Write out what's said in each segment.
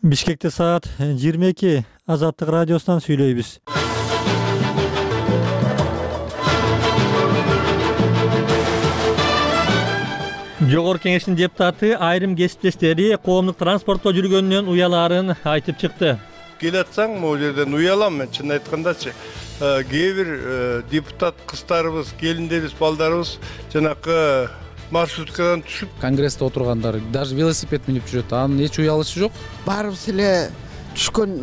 Бишкекте саат 22. Азаттык радиосунан сүйлөйбүз. Жогорку Кеңештин депутаты айрым кесиптештери коомдук транспортто жүргөнүнөн уялаарын айтып чыкты. Келатсаң, могу жерден уялам мен, чын айткандачы. Кээ бир депутат кыздарыбыз, келиндерибиз, балдарыбыз жанакы маршруткадан түшүп конгрессте отургандар даже велосипед минип жүрөт. Анын эч уялышы жок. Баарыбыз эле түшкөн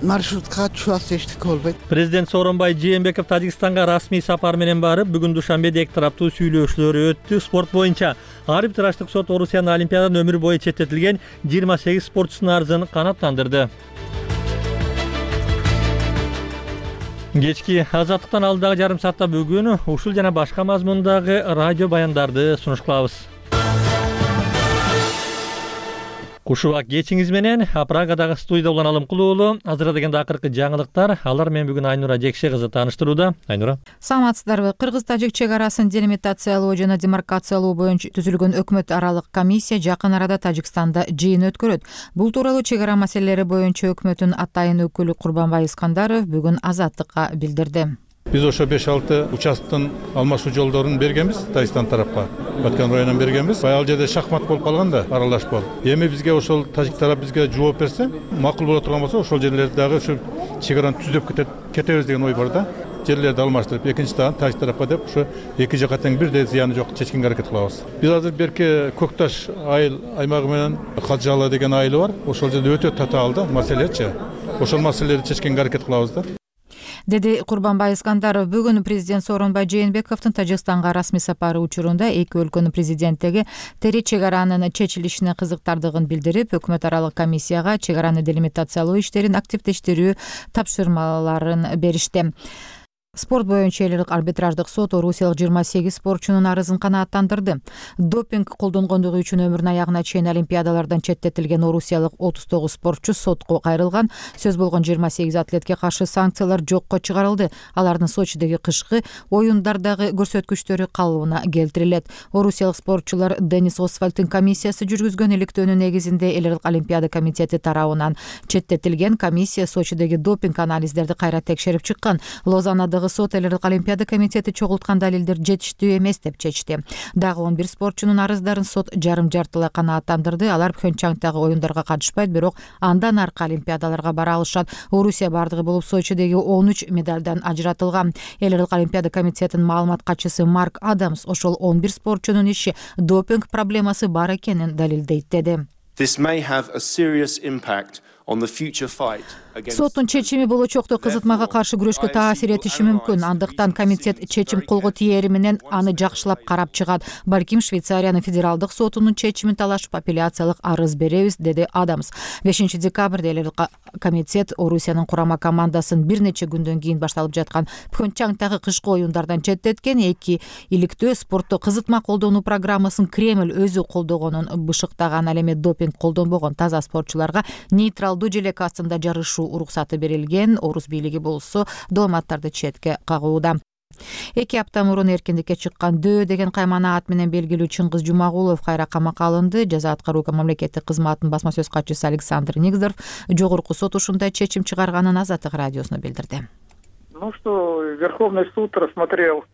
маршруткага түшүп алса эчтеке болбойт. Президент Сооронбай Жээнбеков Тажикстанга расмий сапар менен барып, бүгүн Душанбеде эки тараптуу сүйлөшүүлөр өттү. Спорт боюнча арбитраждык сот Орусиянын Олимпиададан өмүр бою четтетилген 28 спортчусунун арызын канааттандырды. Кечки азаттыктан алдагы жарым саатта бүгүн ушул жана башка мазмундагы радио баяндарды сунуш кылабыз. Кушубак кечиңиз менен Прагадагы студияда улан Алымкулуулу. Азырда дегенде акыркы жаңылыктар. Алар менен бүгүн Айнура Жекше кызы тааныштырууда. Айнура. Саламатсыздарбы? Кыргыз-Тажик чек арасын делимитациялоо жана демаркациялоо боюнча түзүлгөн өкмөт аралык комиссия жакын арада Тажикстанда жыйын өткөрөт. Бул тууралуу чек ара маселелери боюнча өкмөттүн атайын өкүлү Курбанбай Искандаров бүгүн Азаттыкка билдирди. Биз ошо 5-6 участоктун алмашуу жолдорун бергенбиз, Тажикстан тарапка, Баткан районунан бергенбиз. Ал жерде шахмат болуп калган да, аралашып болуп. Эми бизге ошол тажик тарап бизге жооп берсе, макул боло турган болсо, ошол жерлерди дагы ушу чек араны түзөп кетебиз деген ой бар да. Жерлерди алмаштырып, экинчи дагы тажик тарапка деп ушу эки жака тең бирдей зыяны жок чечкенге аракет кылабыз. Биз азыр берки Көкташ айыл аймагы менен Калжалы деген айылы бар. Ошол жерде өтө татаал маселечи. Ошол маселелерди чечкенге аракет кылабыз да. Деди Курбанбай Искандаров. Бүгүн президент Сооронбай Жээнбековдун Тажикстанга расмий сапары учурунда эки өлкөнүн президенттиги тери чек аранын чечилишине кызыктардыгын билдирип, өкмөт аралык комиссияга чек араны делимитациялоо иштерин активдештирүү тапшырмаларын беришти. Спорт боюнча элдик арбитраждык сот орусиялык 28 спортчунун арызын канааттандырды. Допинг колдонгондугу үчүн өмүрүнүн аягына чейин олимпиадалардан четтетилген орусиялык 39 спортчу сотко кайрылган. Сөз болгон 28 атлетке каршы санкциялар жокко чыгарылды. Алардын Сочидеги кышкы оюндардагы көрсөткүчтөрү калыбына келтирилет. Орусиялык спортчулар Денис Освальдтын комиссиясы жүргүзгөн иликтөөнүн негизинде элдик олимпиада комитети тарабынан четтетилген. Комиссия Сочидеги допинг анализдерди кайра текшерип чыккан. Лозаннадагы сот элдик олимпиада комитети чогулткан далилдер жетиштүү эмес деп чечти. Дагы 11 спортчунун арыздарын сот жарым-жартылай канааттандырды. Алар Пхенчхангдагы оюндарга катышпайт, бирок андан аркы олимпиадаларга бара алышат. Орусия бардыгы болуп Сочидеги 13 медалдан ажыратылган. Элдик олимпиада комитетинин маалымат катчысы Марк Адамс ошол 11 спортчунун иши допинг проблемасы бар экенин далилдейт деди. Соттун чечими болочокто кызытмага каршы күрөшкө таасир этиши мүмкүн. Андыктан комитет чечим колго тиери менен аны жакшылап карап чыгат. Балким Швейцариянын федералдык сотунун чечимин талашып апелляциялык арыз беребиз, деди Адамс. 5 декабрда элдик комитет Орусиянын курама командасын бир нече күндөн кийин башталып жаткан Пхенчхангдагы кышкы оюндардан четтеткен. Эки иликтөө спортто кызытма колдонуу программасын Кремль өзү колдогонун бышыктаган. Ал эми допинг колдонбогон таза спортчуларга нейтралдуу желек астында жарышуу уруксаты берилген. Орус бийлиги болсо дооматтарды четке кагууда. 2 апта мурун эркиндикке чыккан Дөө деген кайманаат менен белгилүү Чыңгыз Жумагулов кайра камакка алынды. Жаза аткаруу мамлекеттик кызматынын басма сөз катчысы Александр Нигздорф жогорку сот ушундай чечим чыгарганын Азаттык радиосуна билдирди. Что Верховный суд рассмотрел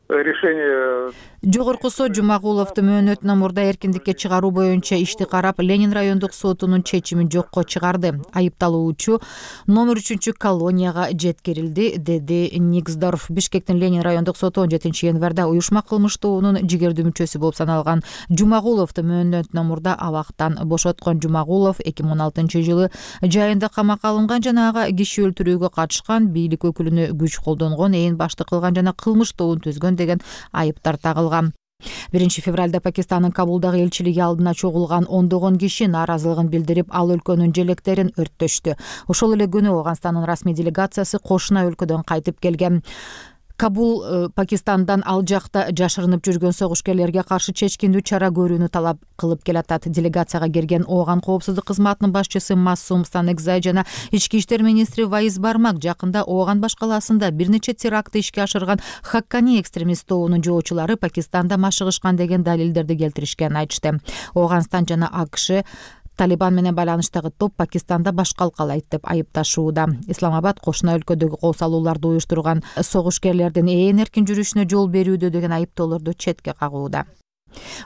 решение. Жогорку сот Жумагуловду мөөнөтүнөн мурда эркиндикке чыгаруу боюнча ишти карап, Ленин райондук сотунун чечимин жокко чыгарды. Айыпталуучу номер 3-колонияга жеткирилди, деди Нигздорф. Бишкектин Ленин райондук соту 17 январда уюшма кылмыштуунун жигердүү мүчөсү болуп саналган Жумагуловду мөөнөтүнөн мурда абактан бошоткон. Жумагулов 2016 жылы жайында камакка алынган жана ага киши өлтүрүүгө катышкан, бийлик өкүлүнө күч колдонгон, ээн баштык кылган жана кылмыш тобун түзгөн деген айыптар тагылган. 1 февралда Пакистандын Кабулдагы элчилиги алдына чогулган ондогон киши нааразылыгын билдирип, ал өлкөнүн желектерин өрттөштү. Ошол эле күнү Ооганстандын расмий делегациясы кошуна өлкөдөн кайтып келген. Кабул Пакистандан ал жакта жашырынып жүргөн согушкерлерге каршы чечкиндүү чара көрүүнү талап кылып келатат. Делегацияга келген Ооган коопсуздук кызматынын башчысы Массум Станекзай жана ички иштер министри Ваиз Бармак жакында Ооган башкаласында бир нече терактты ишке ашырган Хаккани экстремист тобунун жоочулары Пакистанда машыгышкан деген далилдерди келтиришкенин айтышты. Ооганстан жана АКШ Талибан менен байланыштагы топ Пакистанда баш калкалайт деп айыпташууда. Исламабад кошуна өлкөдөгү кол салууларды уюштурган согушкерлердин эркин жүрүшүнө жол берүүдө деген айыптоолорду четке кагууда.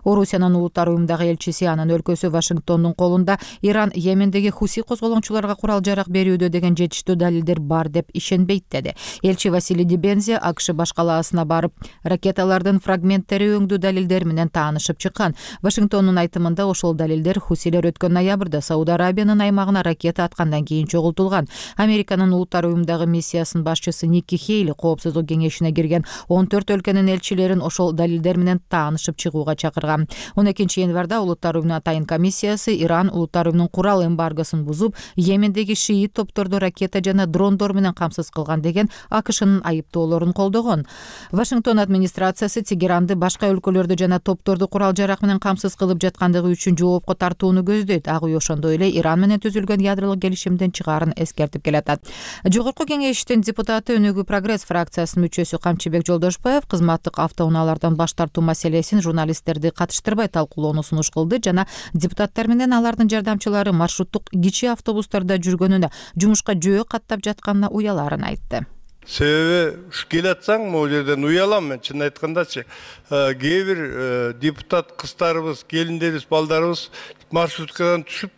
Орусиянын улуттар уюмундагы элчиси анын өлкөсү Вашингтондун колунда Иран Йемендеги хуси козголоңчуларга курал жарак берүүдө деген жетиштүү далилдер бар деп ишенбейт деди. Элчи Василий Дибензи АКШ баш калаасына барып, ракеталардын фрагменттери өңдүү далилдер менен таанышып чыккан. Вашингтондун айтымында ошол далилдер хусилер өткөн ноябрда Сауд Арабиянын аймагына ракета аткандан кийин чогултулган. Американын улуттар уюмундагы миссиясынын башчысы Никки Хейли коопсуздук кеңешине кирген 14 өлкөнүн элчилерин ошол далилдер менен таанышып чыгууга чакырган. 12 январда улуттар уюмунун атайын комиссиясы Иран улуттар уюмунун курал эмбаргосун бузуп, Йемендеги шиит топторду ракета жана дрондор менен камсыз кылган деген АКШнын айыптоолорун колдогон. Вашингтон администрациясы Тегеранды башка өлкөлөрдү жана топторду курал жарак менен камсыз кылып жаткандыгы үчүн жоопко тартууну көздөйт. Ак үй ошондой эле Иран менен түзүлгөн ядролук келишимден чыгаарын эскертип келатат. Жогорку кеңештин депутаты Өнүгүү Прогресс фракциясынын мүчөсү Камчыбек Жолдошбаев кызматтык автоунаалардан баш тартуу маселесин журналисттерди катыштырбай талкуулоону сунуш кылды жана депутаттар менен алардын жардамчылары маршруттук кичи автобустарда жүргөнүнө, жумушка жөө каттап жатканына уяларын айтты. Себеби келе атсаң, могу жерден уялам мен, чын айткандачы. Кээ бир депутат кыздарыбыз, келиндерибиз, балдарыбыз маршруткадан түшүп,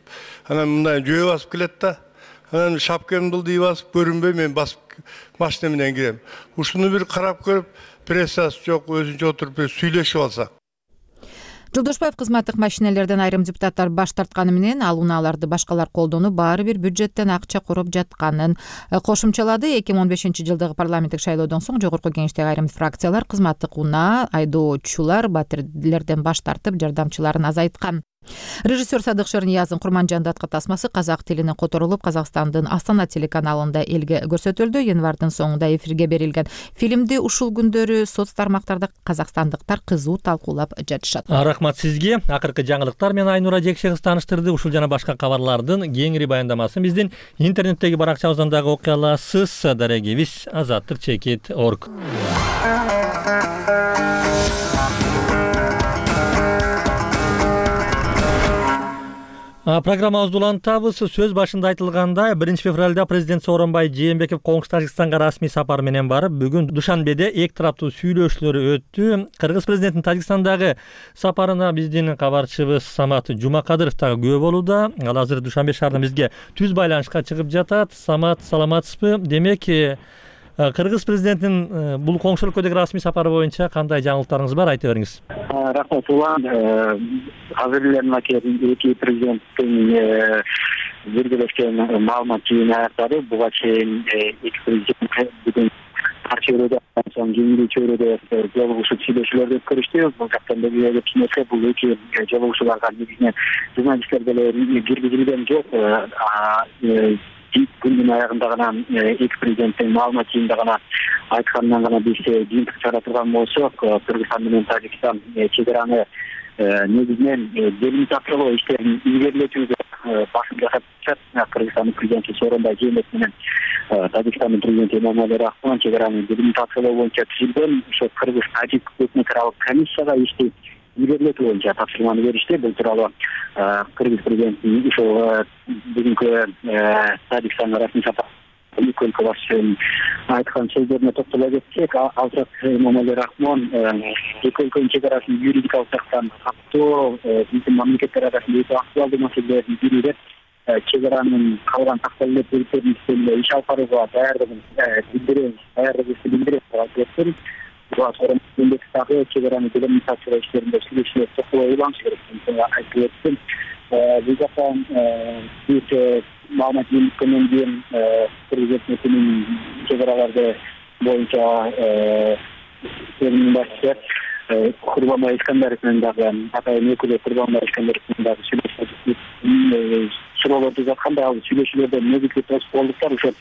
анан мындай жөө басып келет да. Анан шапкамды булдый басып, көрүнбөй мен басып машина менен кирем. Ушуну бир карап көрүп, прессасы жок, өзүнчө отуруп сүйлөшүп алсак. Жолдошбаев кызматтык машинелерден айрым депутаттар баш тартканы менен ал унааларды башкалар колдонуп, баары бир бюджеттен акча куруп жатканын кошумчалады. 2015-жылдагы парламенттик шайлоодон соң жогорку кеңештеги айрым фракциялар кызматтык унаа, айдоочулар, батирлерден баш тартып, жардамчыларын азайткан. Режиссер Садык Шерниязын Курманжанды аткы тасмасы казак тилине которулуп, Казакстандын Астана телеканалында элге көрсөтүлдү. Январдын соңунда эфирге берилген фильмди ушул күндөрү соц тармактарда казакстандыктар кызуу талкуулап жатышат. Рахмат сизге. Акыркы жаңылыктар менен Айнура Жекше кыз тааныштырды. Ушул жана башка кабарлардын кеңири баяндамасын биздин интернеттеги баракчабыздан дагы окуй аласыз. Дарегибиз azattik.org. Программабызды улантабыз. Сөз башында айтылгандай, 1-февралда президент Сооронбай Жээнбеков коңшу Тажикстанга расмий сапар менен барып, бүгүн Душанбеде эки тараптуу сүйлөшүүлөр өттү. Кыргыз президентинин Тажикстандагы сапарына биздин кабарчыбыз Самат Жумакадыров дагы күбө болууда. Ал азыр Душанбе шаарынан бизге түз байланышка чыгып жатат. Самат, саламатсызбы? Демек, Кыргыз президентинин бул коңшу өлкөдөгү расмий сапары боюнча кандай жаңылыктарыңыз бар, айта бериңиз. Рахмат улан. Азыр эле эки президенттин биргелешкен маалымат жыйыны аяктады. Буга чейин эки президент бүгүн ар чөйрөдөн соң кийинки чөйрөдө жолугушуп сүйлөшүүлөрдү өткөрүштү. Бул жактан белгилеп кийинсе бул эки жолугушууларга негизинен журналисттер деле киргизилген жок. Күндүн аягында гана эки президенттин маалымат жыйынында гана айтканынан гана биз жыйынтык чыгара турган болсок, Кыргызстан менен Тажикстан чегараны негизинен делимитациялоо иштерин илгерилетүүгө басым жасап жатат. Кыргызстандын президенти Сооронбай Жээнбеков менен Тажикстандын президенти Эмомали Рахмон чегараны делимитациялоо боюнча түзүлгөн ошо Кыргыз-Тажик өкмөтаралык комиссияга ишти илгерилетүү боюнча тапшырманы беришти. Бул тууралуу Кыргыз президентинин ушул бүгүнкү Тажикстанга расмий сапар эки өлкө башчысынын айткан сөздөрүнө токтоло кетсек, алсак Эмомали Рахмон эки өлкөнүн чегарасын юридикалык жактан каттоо биздин мамлекеттер арасында өтө актуалдуу маселелердин бири деп чегаранын калган такталып берүүнүн үстүндө иш алып барууга даярдыгыбызды билдиребиз деп айтып Сооронбай дагы чегараны делимитациялоо иштеринде сүйлөшүүлөр токтоло уланышы керек деп айтып өттү. Бул жактан биз маалымат жыйынткандан кийин Кыргыз өкмөтүнүн чегараларды боюнча башчысы Курбанбай Искандаров менен дагы атайын өкүлү Курбанбай Искандаров менен дагы суроолорду жатканда, ал сүйлөшүүлөрдө негизги тоскоолдуктар ошо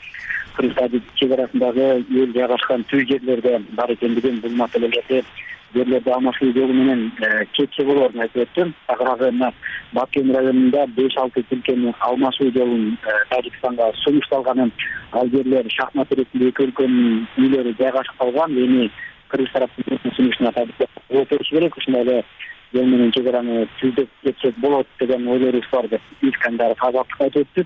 Кыргыз-Тажик чегарасындагы эл жайгашкан түз жерлерде бар экендигин, бул маселелерди жерлерди алмашуу жолу менен чечсе болоорун айтып өттүм. Аграгы Бакем районунда 5-6 тилкени алмашуу жолун Тажикстанга сунушталганын, ал жерлер шахмат иретинде эки өлкөнүн үйлөрү жайгашып калган. Эми Кыргыз тараптын сунушуна жооп бериш керек. Ушундай эле ел менен чек араны түздөп кетсек болот деген ойлорубуз бар деп искандаров азаттыкка айтып өттү.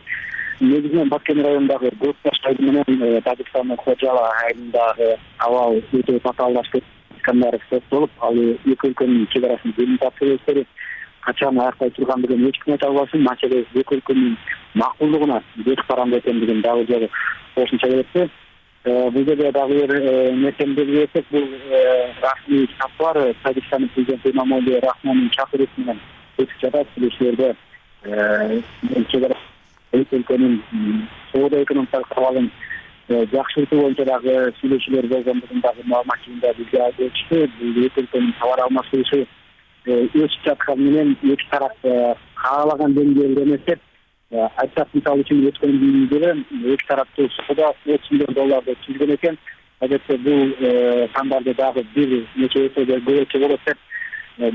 Негизинен Баткен районундагы Көкбаш айылы менен Тажикстандын Хочала айылындагы абал өтө татаалдашып Искандаров соттолуп, ал эки өлкөнүн чек арасын делимитация эстери качан аяктай тургандыгын эч ким айта албасын. Маселе эки өлкөнүн макулдугуна бет каранды экендигин дагы жолу кошумча берди. Бул жерде дагы бир нерсени белгилесек, бул расмий сапар Тажикстандын президенти Эмомали Рахмондун чакыруусу менен өтүп жатат. Сүйлөшүүлөрдө чек ара эки өлкөнүн соода экономикалык абалын жакшыртуу боюнча дагы сүйлөшүүлөр болгондугун дагы маалымат жыйында бизге айтып өтүштү. Бул эки өлкөнүн товар алмашуусу өсүп жатканы менен эки тарап каалаган деңгээлде эмес деп айтсак, мисалы үчүн өткөн жылы эки тараптуу соода $30 миллион түзгөн экен. Адетте бул сандарды дагы бир нече эсеге көбөйтсө болот деп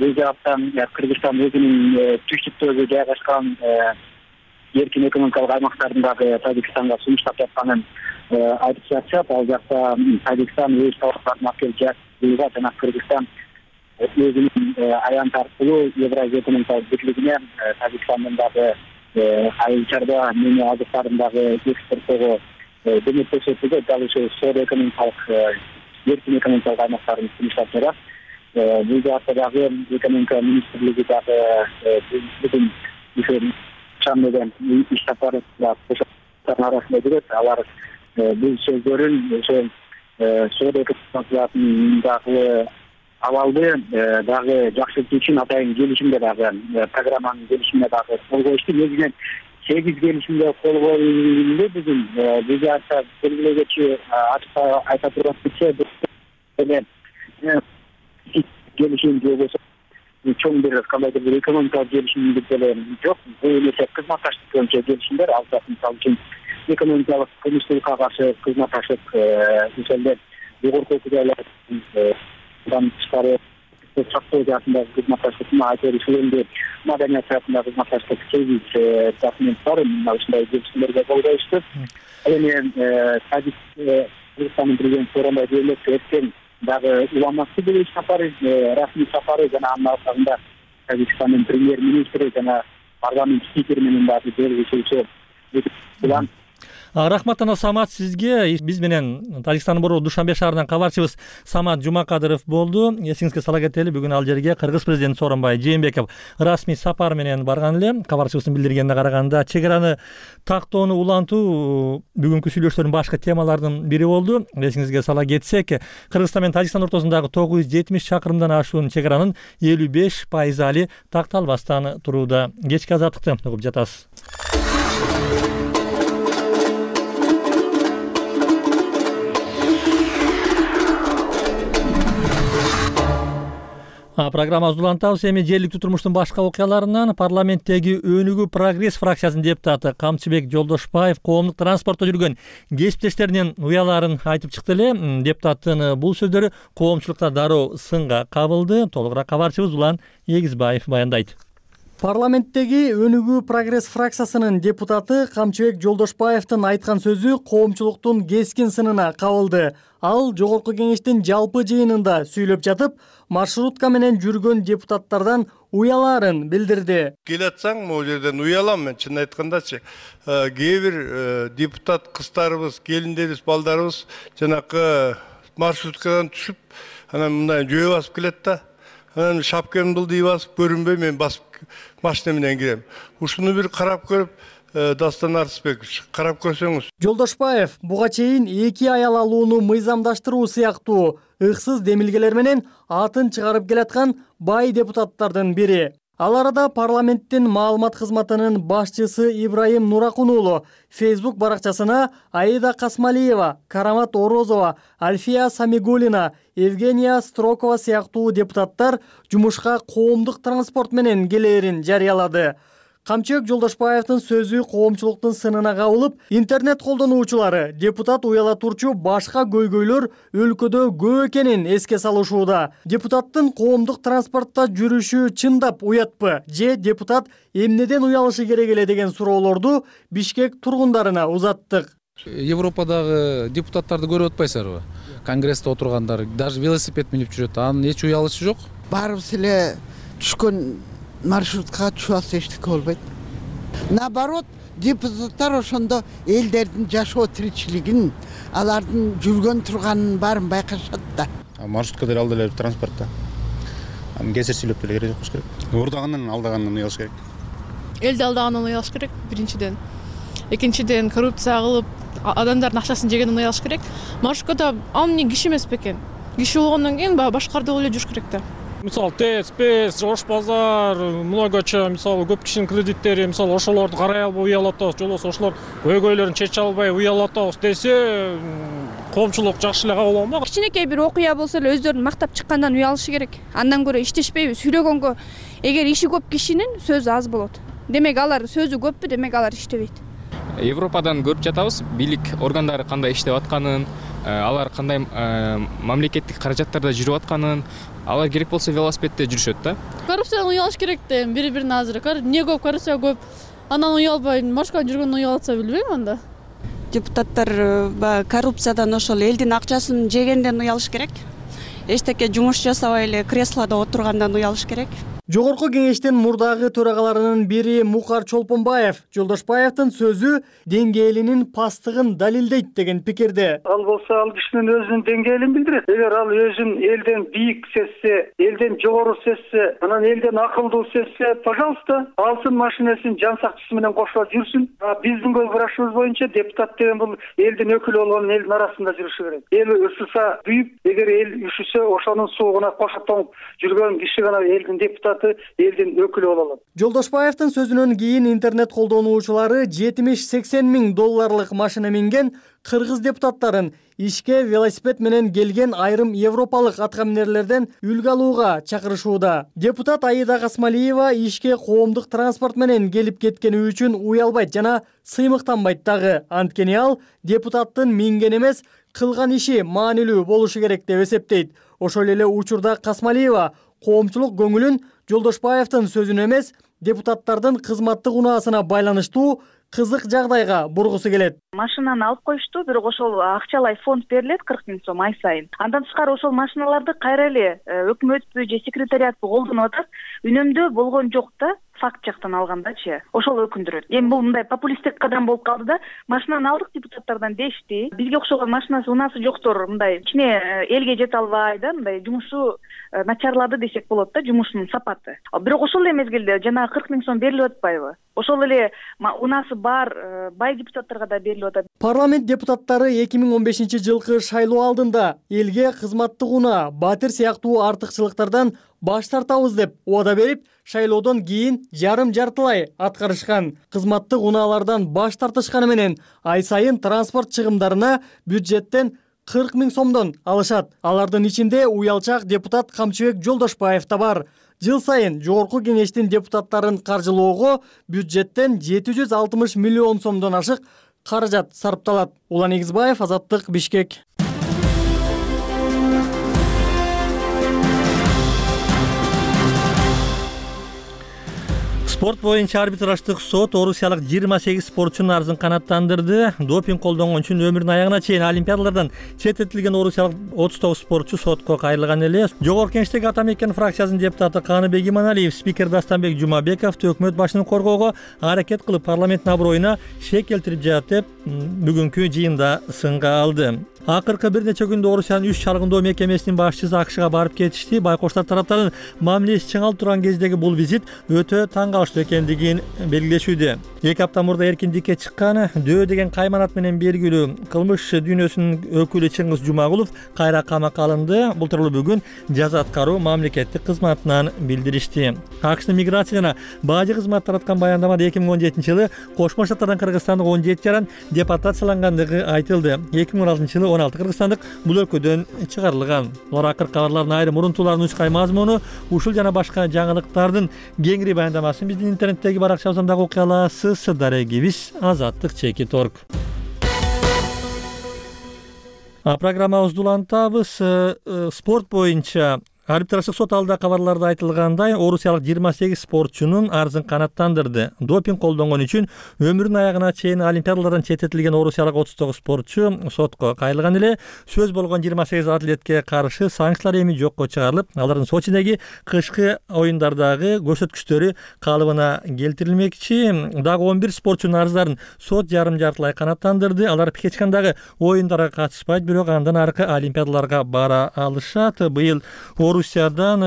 бул жаптан Кыргызстан өзүнүн түштүктөгү жайгашкан эркин экономикалык аймактардын дагы Тажикстанга сунуштап жатканын айтып жатышат. Ал жакта Тажикстан өз товарларын алып келип жаткырууга жана Кыргызстан өзүнүн аянт аркылуу Евразия экономикалык бирлигине Тажикстандын дагы айыл чарба мени азыктарын дагы экспорттоого көмөк көрсөтүүгө дагы ошо соода экономикалык эркин экономикалык аймактарын сунуштап жатат. Бул жакта дагы экономика министрлиги дагы бүгүн ошо чамдаган иш сапары арасында жүрөт. Алар бул сөздөрүн ошо соода экономикасынын дагы абалды дагы жакшыртуу үчүн атайын келишимде дагы программанын келишимине дагы кол коюшту. Негизинен 8 келишимге кол коюлду. Бүгүн бул жакта белгилегечи ачык айта турган келишим болсо чоң бир кандайдыр бир экономикалык келишим деле жок. Бул эле кызматташтык боюнча келишимдер. Ал мисалы үчүн экономикалык кылмыштуулукка каршы кызматташып ошондой жогорку окуялардан тышкары сактоо жаатындагы кызматташтыкты айтып ушул маданият жаатындагы кызматташтык 8 документ бар. Мына ушундай келишимдерге кол коюшту. Эми Кыргызстандын президенти Сооронбай Жээнбеков эртең дагы уламасы бир сапары, расмий сапары жана анын аркасында Тажикстандын премьер-министри жана парламент спикери менен дагы белгилешүүчү план. Рахмат ана Самат сизге. Биз менен Тажикстандын борбору Душанбе шаарынан кабарчыбыз Самат Жумакадыров болду. Эсиңизге сала кетели, бүгүн ал жерге Кыргыз президенти Сооронбай Жээнбеков расмий сапар менен барган эле. Кабарчыбыздын билдиргенине караганда, чек араны тактоону улантуу бүгүнкү сүйлөшүүлөрдүн башкы темаларынын бири болду. Эсиңизге сала кетсек, Кыргызстан менен Тажикстан ортосундагы 970 чакырымдан ашуун чек аранын 55% али такталбастан турууда. Кечки азаттыкты угуп жатасыз. Программабызды улантабыз. Эми жергиликтүү турмуштун башка окуяларынан парламенттеги Өнүгүү Прогресс фракциясынын депутаты Камчыбек Жолдошбаев коомдук транспортто жүргөн кесиптештеринин уяларын айтып чыкты эле. Депутаттын бул сөздөрү коомчулукта дароо сынга кабылды. Толугураак кабарчыбыз Улан Эгизбаев баяндайт. Парламенттеги Өнүгүү Прогресс фракциясынын депутаты Камчыбек Жолдошбаевдин айткан сөзү коомчулуктун кескин сынына кабылды. Ал жогорку кеңештин жалпы жыйынында сүйлөп жатып, маршрутка менен жүргөн депутаттардан уяларын билдирди. Келатсаң, могу жерден уялам мен, чын айткандачы. Кээ бир депутат кыздарыбыз, келиндерибиз, балдарыбыз жанакы маршруткадан түшүп, анан мындай жөө басып келет да. Анан шапкамды дей басып көрүнбөй мен басып машина менен кирем. Ушуну бир карап көрүп, Дастан Арсбекович, карап көрсөңүз. Жолдошбаев буга чейин 2 аял алууну мыйзамдаштыруу сыяктуу ыксыз демилгелер менен атын чыгарып келаткан бай депутаттардын бири. Ал арада парламенттин маалымат кызматынын башчысы Ибраим Нуракун уулу Facebook баракчасына Аида Касмалиева, Карамат Орозова, Альфия Самигулина, Евгения Строкова сыяктуу депутаттар жумушка коомдук транспорт менен келээрин жарыялады. Камчыбек Жолдошбаевдин сөзү коомчулуктун сынына кабылып, интернет колдонуучулары депутат уяла турчу башка көйгөйлөр өлкөдө көп экенин эске салышууда. Депутаттын коомдук транспортто жүрүшү чындап уятпы же депутат эмнеден уялышы керек эле деген суроолорду Бишкек тургундарына узаттык. Европадагы депутаттарды көрүп атпайсыздарбы? Конгрессте отургандар даже велосипед минип жүрөт. Анын эч уялышы жок. Баарыбыз эле түшкөн маршруткага түшүп алса эчтеке болбойт. Наоборот, депутаттар ошондо элдердин жашоо тиричилигин, алардын жүргөн турганын баарын байкашат да. Маршрутка деле ал деле транспортта. Кесир сүйлөп деле керек болуш керек. Урдагандан алдагандан уялыш керек. Элди алдагандан уялыш керек биринчиден. Экинчиден коррупция кылып адамдардын акчасын жегенден уялыш керек. Маршруткада ал эмне киши эмес бекен. Киши болгондон кийин баягы башкарды эле жүрүш керек да. Мисалы ТЭЦ, ПЭС, Жош базар, многоча, мисалы көп кишинин кредиттери, мисалы ошолорду карай албай уялып атабыз, же болбосо ошолор көйгөйлөрүн чече албай уялып атабыз десе, коомчулук жакшы эле кабыл алмак. Кичинекей бир окуя болсо эле өздөрүн мактап чыккандан уялышы керек. Андан көрө иштешпейби? Сүйлөгөнгө эгер иши көп кишинин сөзү аз болот. Демек алар сөзү көппү, демек алар иштебейт. Европадан көрүп жатабыз, бийлик органдары кандай иштеп атканын, алар кандай мамлекеттик каражаттарда жүрүп атканын, алар керек болсо велосипедде жүрүшөт да. Коррупциядан уялыш керек да, бири-бирине азыр. Эмне көп коррупция көп. Анан уялбай, маршрутка жүргөндөн уялатса билбейм анда. Депутаттар коррупциядан ошол элдин акчасын жегенден уялыш керек. Эчтеке жумуш жасабай эле креслодо отургандан уялыш керек. Жогорку кеңештин мурдагы төрагаларынын бири Мукар Чолпонбаев Жолдошбаевдин сөзү деңгээлинин пасттыгын далилдейт деген пикирде. Ал болсо ал кишинин өзүнүн деңгээлин билдирет. Эгер ал өзүн элден бийик сезсе, элден жогору сезсе, анан элден акылдуу сезсе, пожалуйста, алсын машинесин жан сакчысы менен кошо жүрсүн. Биздин көзкарашыбыз боюнча депутат деген бул элдин өкүлү болгон элдин арасында жүрүшү керек. Эл ысыса күйүп, эгер эл үшүсө, ошонун суугуна кошо тоңуп жүргөн киши гана элдин депутаты, элдин өкүлү боло алат. Жолдошбаевдин сөзүнөн кийин интернет колдонуучулары $70-80 миң машина минген кыргыз депутаттарын ишке велосипед менен келген айрым европалык аткаминерлерден үлгү алууга чакырышууда. Депутат Аида Касмалиева ишке коомдук транспорт менен келип кеткени үчүн уялбайт жана сыймыктанбайт дагы. Анткени ал депутаттын минген эмес, кылган иши маанилүү болушу керек деп эсептейт. Ошол эле учурда Касмалиева коомчулук көңүлүн Жолдошбаевдин сөзүнө эмес, депутаттардын кызматтык унаасына байланыштуу кызык жагдайга бургусу келет. Машинаны алып коюшту, бирок ошол акчалай фонд берилет 40 000 сом ай сайын. Андан тышкары ошол машиналарды кайра эле өкмөтпү же секретариатпы колдонуп атат. Үнөмдөө болгон жок да. Факт жактан алгандачы, ошол өкүндүрөт. Эми бул мындай популисттик кадам болуп калды да, машинаны алдык депутаттардан дешти. Бизге окшогон машинасы унаасы жоктор мындай кичине элге жете албай да, мындай жумушу начарлады десек болот да, жумушунун сапаты. Бирок ошол эле мезгилде жанагы 40 000 сом берилип атпайбы? Ошол эле унаасы бар бай депутаттарга да берилип атат. Парламент депутаттары 2015-жылкы шайлоо алдында элге кызматтык унаа, батир сыяктуу артыкчылыктардан баш тартабыз деп убада берип, шайлоодон кийин жарым-жартылай аткарышкан. Кызматтык унаалардан баш тартышканы менен ай сайын транспорт чыгымдарына бюджеттен 40 000 сомдон алышат. Алардын ичинде уялчак депутат Камчыбек Жолдошбаев да бар. Жыл сайын жогорку кеңештин депутаттарын каржылоого бюджеттен 760 миллион сомдон ашык каражат сарпталат. Улан Игизбаев, Азаттык, Бишкек. Спорт боюнча арбитраждык сот орусиялык 28 спортчунун арызын канааттандырды. Допинг колдонгон үчүн өмүрүнүн аягына чейин олимпиадалардан четтетилген орусиялык 39 спортчу сотко кайрылган эле. Жогорку кеңештеги ата мекен фракциясынын депутаты Каныбек Иманалиев спикер Дастанбек Жумабековду өкмөт башчысын коргоого аракет кылып парламенттин аброюна шек келтирип жатат деп бүгүнкү жыйында сынга алды. Акыркы бир нече күндө Орусиянын 3 чалгындоо мекемесинин башчысы АКШга барып кетишти. Байкоштар тараптарынын мамилеси чыңалып турган кездеги бул визит өтө таң калыштуу экендигин белгилешүүдө. 2 апта мурда эркиндикке чыккан Дөө деген кайманат менен белгилүү кылмыш дүйнөсүнүн өкүлү Чыңгыз Жумагулов кайра камакка алынды. Бул тууралуу бүгүн жаза аткаруу мамлекеттик кызматынан билдиришти. АКШнын миграция жана бажы кызматы тараткан баяндамада 2017-жылы Кошмо Штаттардан Кыргызстандык 17 жаран депортациялангандыгы айтылды. 2016-жылы 16 кыргызстандык бул өлкөдөн чыгарылган. Олар акыркы кабарлардын айрым урунтууларынын учкай мазмуну, ушул жана башка жаңылыктардын кеңири баяндамасын биздин интернеттеги баракчабыздан окуя аласыз. Дарегибиз Азаттык _org. Программабызды улантабыз. Спорт боюнча Арбитраждык сот алдында кабарларда айтылгандай, орусиялык 28 спортчунун арызын канааттандырды. Допинг колдонгон үчүн өмүрүнүн аягына чейин олимпиадалардан четтетилген орусиялык 39 спортчу сотко кайрылган эле. Сөз болгон 28 атлетке каршы санкциялар эми жокко чыгарылып, алардын Сочидеги кышкы оюндардагы көрсөткүчтөрү калыбына келтирилмекчи. Дагы 11 спортчунун арыздарын сот жарым-жартылай канааттандырды. Алар Пхенчхандагы оюндарга катышпайт, бирок андан аркы олимпиадаларга бара алышат. Быйыл Орусиядан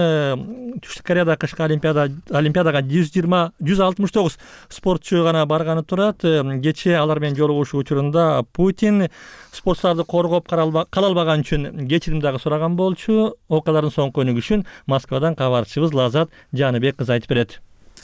Түштүк Кореяда кышкы олимпиадага 169 спортчу гана барганы турат. Кечээ алар менен жолугушуу учурунда Путин спортчуларды коргоп кала албаган үчүн кечирим дагы сураган болчу. Окуялардын соңку өнүгүшүн Москвадан кабарчыбыз Лазат Жаныбек кыз айтып берет.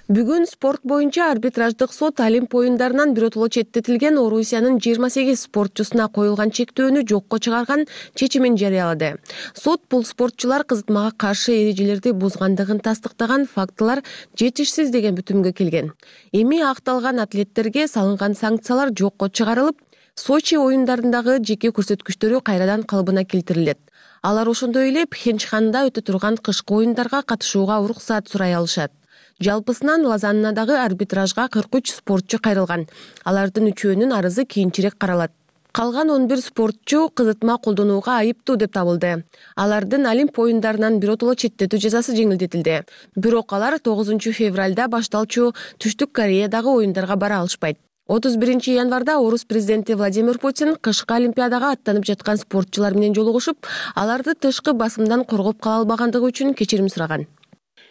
Бүгүн спорт боюнча арбитраждык сот Олимп оюндарынан биротоло четтетилген Орусиянын 28 спортчусуна коюлган чектөөнү жокко чыгарган чечимин жарыялады. Сот бул спортчулар кызытмага каршы эрежелерди бузгандыгын тастыктаган фактылар жетишсиз деген бүтүмгө келген. Эми акталган атлеттерге салынган санкциялар жокко чыгарылып, Сочи оюндарындагы жеке көрсөткүчтөрү кайрадан калыбына келтирилет. Алар ошондой эле Пхенчханда өтө турган кышкы оюндарга катышууга уруксаат сурай алышат. Жалпысынан Лозаннадагы арбитражга 43 спортчу кайрылган. Алардын үчөөнүн арызы кийинчерээк каралат. Калган 11 спортчу кызытма колдонууга айыптуу деп табылды. Алардын Олимп оюндарынан биротоло четтетүү жазасы жеңилдетилди. Бирок алар 9 февралда башталчу Түштүк Кореядагы оюндарга бара алышпайт. 31 январда орус президенти Владимир Путин кышкы олимпиадага аттанып жаткан спортчулар менен жолугушуп, аларды тышкы басымдан коргоп кала албагандыгы үчүн кечирим сураган.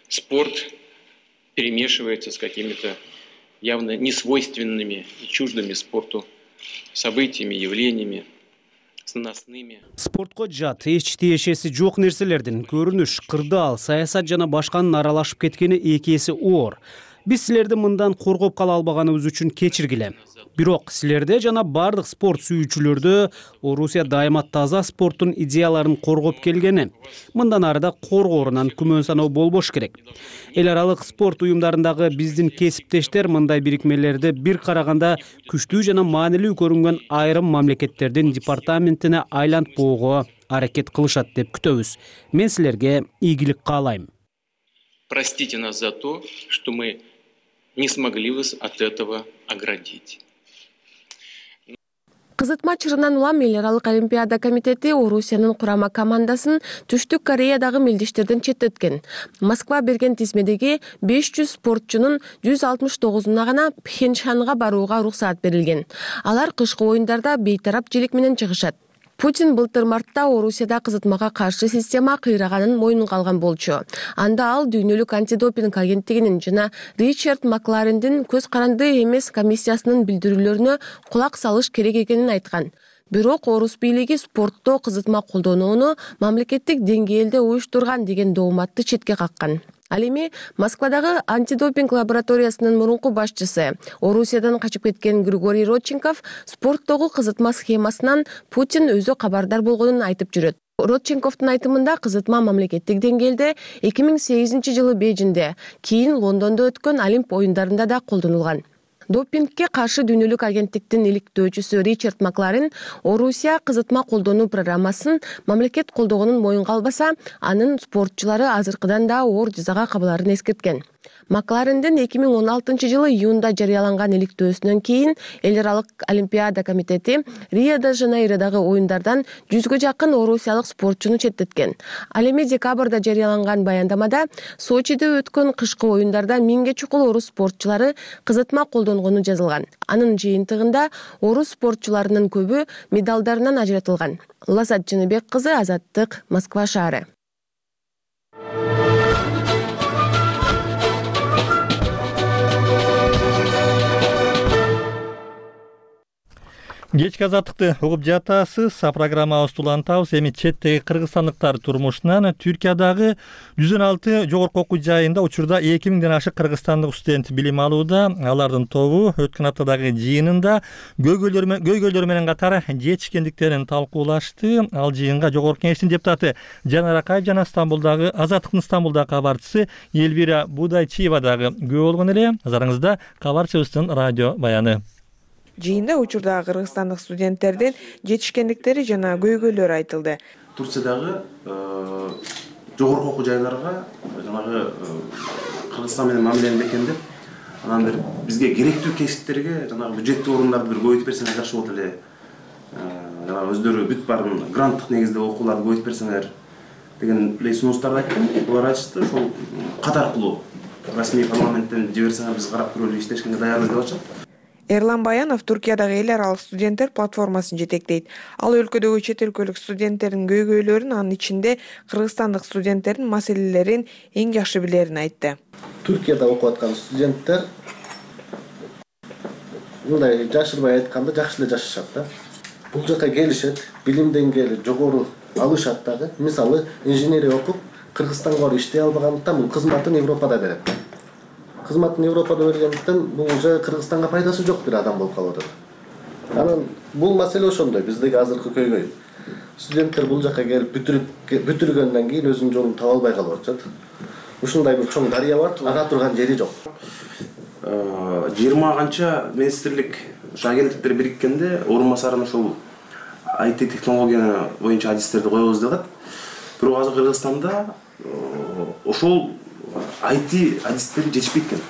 Спорт перемешивается с какими-то явно несвойственными и чуждыми спорту событиями, явлениями, с наносными. Спортко жат, эч тиешеси жок нерселердин көрүнүш, кырдаал, саясат жана башканын аралашып кеткени эки эсе оор. Биз силерди мындан коргоп кала албаганыбыз үчүн кечиргиле. Бирок силерде жана бардык спорт сүйүүчүлөрдө Орусия дайыма таза спорттун идеяларын коргоп келгени. Мындан арыда коргоорунан күмөн саноо болбош керек. Эл аралык спорт уюмдарындагы биздин кесиптештер мындай бирикмелерди бир караганда күчтүү жана маанилүү көрүнгөн айрым мамлекеттердин департаментине айлантпоого аракет кылышат деп күтөбүз. Мен силерге ийгилик каалайм. Простите нас за то, что мы не смогли вас от этого оградить. Кызытма чырынан улам эл аралык олимпиада комитети Орусиянын курама командасын Түштүк Кореядагы мелдештерден четтеткен. Москва берген тизмедеги 500 спортчунун 169-уна гана Пхенчханга барууга уруксаат берилген. Алар кышкы оюндарда бейтараптчылык менен чыгышат. Путин былтыр мартта Орусияда кызытмага каршы система кыйраганын мойнунга алган болчу. Анда ал дүйнөлүк антидопинг агенттигинин жана Ричард Макларендин көз каранды эмес комиссиясынын билдирүүлөрүнө кулак салыш керек экенин айткан. Бирок орус бийлиги спортто кызытма колдонууну мамлекеттик деңгээлде уюштурган деген дооматты четке каккан. Ал эми Москвадагы антидопинг лабораториясынын мурунку башчысы, Орусиядан качып кеткен Григорий Родченков спорттогу кызытма схемасынан Путин өзү кабардар болгонун айтып жүрөт. Родченковдун айтымында кызытма мамлекеттик деңгээлде 2008 жылы Бейжиңде, кийин Лондондо өткөн Олимп оюндарында да колдонулган. Допингке каршы дүйнөлүк агенттиктин иликтөөчүсү Ричард Макларен Орусия кызытма колдонуу программасын мамлекет колдогонун моюнга албаса, анын спортчулары азыркыдан да оор жазага кабыларын эскерткен. Макларендин 2016 жылы июнда жарыяланган иликтөөсүнөн кийин эл аралык олимпиада комитети Рио-де-Жанейродагы оюндардан 100гө жакын орусиялык спортчуну четтеткен. Ал эми декабрда жарыяланган баяндамада Сочиде өткөн кышкы оюндарда 1000ге чукул орус спортчулары кызытма колдонгону жазылган. Анын жыйынтыгында орус спортчуларынын көбү медалдарынан ажыратылган. Лазат Жаныбек кызы, Азаттык, Москва шаары. Кечки азаттыкты угуп жатасыз. Программабызды улантабыз. Эми четтеги кыргызстандыктар турмушунан Түркиядагы 116 жогорку окуу жайында учурда 2000ден ашык кыргызстандык студент билим алууда. Алардын тобу өткөн аптадагы жыйынында көйгөйлөр менен катар жетишкендиктерин талкуулашты. Ал жыйынга Жогорку Кеңештин депутаты Жанар Акаев жана Азаттыктын Стамбулдагы кабарчысы Эльвира Будайчиева дагы күбө болгон эле. Назарыңызда кабарчыбыздын радио баяны. Жыйында учурдагы кыргызстандык студенттердин жетишкендиктери жана көйгөйлөрү айтылды. Турциядагы жогорку окуу жайларга жанагы Кыргызстан менен мамилени бекемдеп, анан бир бизге керектүү кесиптерге жанагы бюджеттик орундарды бир көбөйтүп берсеңер жакшы болот эле. Жанагы өздөрү бүт барын гранттык негизде окууларды көбөйтүп берсеңер деген сунуштарды айттым. Булар айтышты, ошол кат аркылуу расмий парламенттен жиберсеңер биз карап көрөлү, иштешкенге даярбыз деп атышат. Эрлан Баянов Туркиядагы эл аралык студенттер платформасын жетектейт. Ал өлкөдөгү чет өлкөлүк студенттердин көйгөйлөрүн, анын ичинде кыргызстандык студенттердин маселелерин эң жакшы билерин айтты. Туркияда окуп аткан студенттер мындай жашырбай айтканда жакшы эле жашашат да. Бул жака келишет, билим деңгээли жогору алышат дагы. Мисалы, инженерия окуп Кыргызстанга барып иштей албагандыктан бул кызматын Европада берет. Кызматын Европада бергендиктен бул уже Кыргызстанга пайдасы жок бир адам болуп калып атат. Анан бул маселе ошондой, биздеги азыркы көйгөй. Студенттер бул жака келип бүтүргөндөн кийин өзүнүн жолун таба албай калып атышат. Ушундай бир чоң дарыя бар, ага турган жери жок. 20 канча министрлик агенттиктер бириккенде орун басарын ошол IT технология боюнча адистерди коебуз деп атат. Бирок азыр Кыргызстанда ошол IT адистери жетишпейт экен.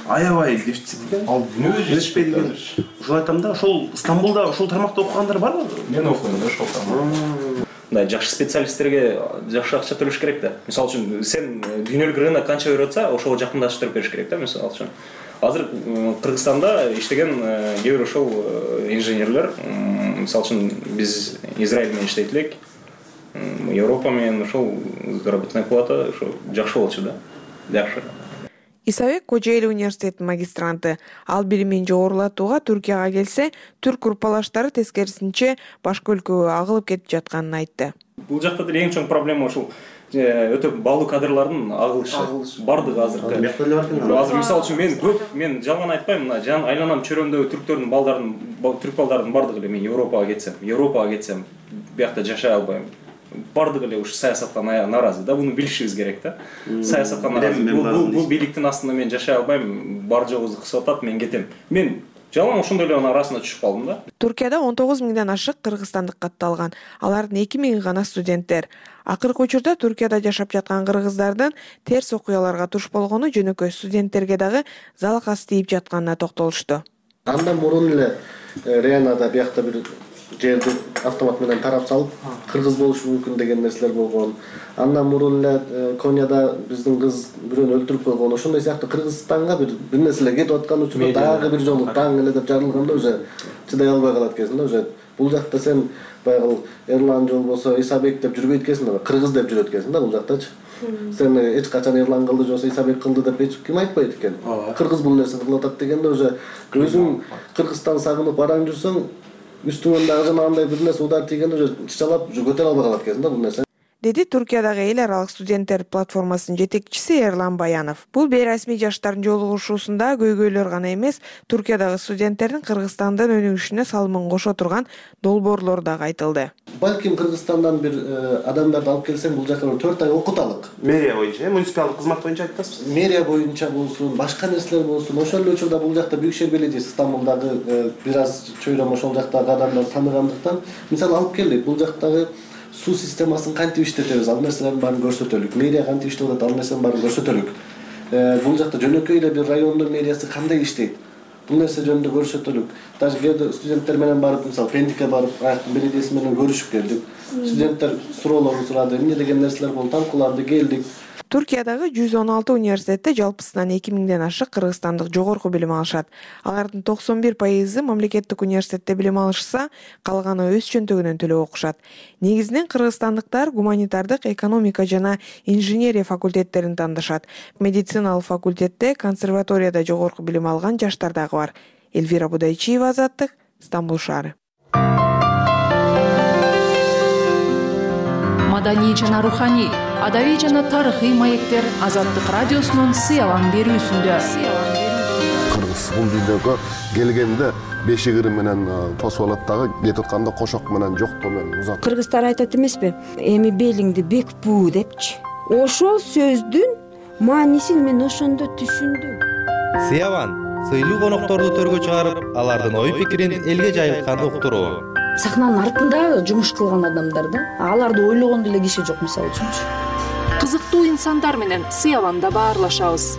Аябай дефицит экен. Ал дүнүбү жетишпейт экен. Ошол айтам да, ошол Стамбулда ошол тармакта окугандар барбы? Мен окуйм да ошол тармакта. Мындай жакшы специалисттерге жакшы акча төлөш керек да. Мисалы үчүн сен дүйнөлүк рынок канча берип атса, ошого жакындаштырып бериш керек да, мисалы үчүн. Азыр Кыргызстанда иштеген кээ бир ошол инженерлер, мисалы үчүн биз Израиль менен иштейт элек, Европа менен ошол заработная плата ошо жакшы болчу да. Жакшы. Исабек Кожоэл университетинин магистранты. Ал билимин жогорулатууга Түркияга келсе, түрк группалаштары тескерисинче башка өлкөгө агылып кетип жатканын айтты. Бул жакта деле эң чоң проблема ошол өтө баалуу кадрлардын агылышы. Бардыгы азыркы. Азыр мисалы үчүн мен жалган айтпайм, мына жан айланам чөрөмдөгү түрк балдардын бардыгы эле мен Европага кетсем, биякта жашай албайм. Бардыгы эле ушу саясатка нааразы да, буну билишибиз керек да. Саясатка нааразы. Бул бийликтин астында мен жашай албайм, бар жогубузду кысып атат, мен кетем. Мен жалаң ошондой эле арасына түшүп калдым да. Туркияда 19 миңден ашык кыргызстандык катталган. Алардын 2 миңи гана студенттер. Акыркы учурда Туркияда жашап жаткан кыргыздардын терс окуяларга туш болгону жөнөкөй студенттерге дагы залакасы тийип жатканына токтолушту. Андан мурун эле Ренада биякта бир жерди автомат менен тарап салып, кыргыз болушу мүмкүн деген нерселер болгон. Андан мурун эле Конияда биздин кыз бирөөнү өлтүрүп койгон. Ошондой сыяктуу Кыргызстанга бир нерселер кетип аткан учурда дагы бир жолу таң эле деп жарылганда уже чыдай албай калат экенсиң да. Уже бул жакта сен баягы Эрлан же болбосо Исабек деп жүрбөйт экенсиң да, кыргыз деп жүрөт экенсиң да бул жактачы. Сен эч качан Эрлан кылды же болбосо Исабек кылды деп эч ким айтпайт экен. Кыргыз бул нерсени кылып атат дегенде уже өзүң Кыргызстан сагынып бараң жүрсөң, үстүңөн дагы жанагындай бир нерсе удар тийгенде уже чычалап көтөрө албай калат экенсиң да бул нерсени. Деди Туркиядагы эл аралык студенттер платформасынын жетекчиси Эрлан Баянов. Бул бейрасмий жаштардын жолугушуусунда көйгөйлөр гана эмес, Туркиядагы студенттердин Кыргызстандын өнүгүшүнө салымын кошо турган долбоорлор дагы айтылды. Балким Кыргызстандан бир адамдарды алып келсең, бул жака 4 ай окуталык. Мэрия боюнча, муниципалдык кызмат боюнча айтасыз? Мэрия боюнча болсун, башка нерселер болсун. Ошол эле учурда бул жакта Büyükşehir Belediyesi Стамбулдагы бир аз чөйрөм ошол жактагы адамдар тааныгандыктан, мисалы алып келдик, бул жактагы суу системасын кантип иштетебиз, ал нерселердин баарын көрсөтөлүк. Мэрия кантип иштеп атат, ал нерсенин баарын көрсөтөлүк. Бул жакта жөнөкөй эле бир райондун мэриясы кандай иштейт, бул нерсе жөнүндө көрсөтөлүк. Даже кээде студенттер менен барып, мисалы Пендикке барып, аяктын беледияси менен көрүшүп келдик. Студенттер суроолорун сурады, эмне деген нерселер болду, талкууланды, келдик. Туркиядагы 116 университетте жалпысынан 2 миңден ашык кыргызстандык жогорку билим алышат. Алардын 91% мамлекеттик университетте билим алышса, калганы өз чөнтөгүнөн төлөп окушат. Негизинен кыргызстандыктар гуманитардык, экономика жана инженерия факультеттерин тандашат. Медициналык факультетте, консерваторияда жогорку билим алган жаштар дагы бар. Эльвира Будайчиева, Азаттык, Стамбул шаары. Маданий жана руханий, адабий жана тарыхый маектер Азаттык радиосунун сыялан берүүсүндө. Кыргыз бул дүйнөгө келгенде бешигири менен тосуп алат дагы, кетип атканда кошок менен жоктоо менен узат. Кыргыздар айтат эмеспи? Эми белиңди бек буу депчи. Ошол сөздүн маанисин мен ошондо түшүндүм. Сыялан сыйлуу конокторду төргө чыгарып, алардын ой пикирин элге жайылтканды уктуруу. Сахнанын артында жумуш кылган адамдар да, аларды ойлогон деле киши жок, мисалы үчүн. азаттуу инсандар менен сыяланда баарлашабыз.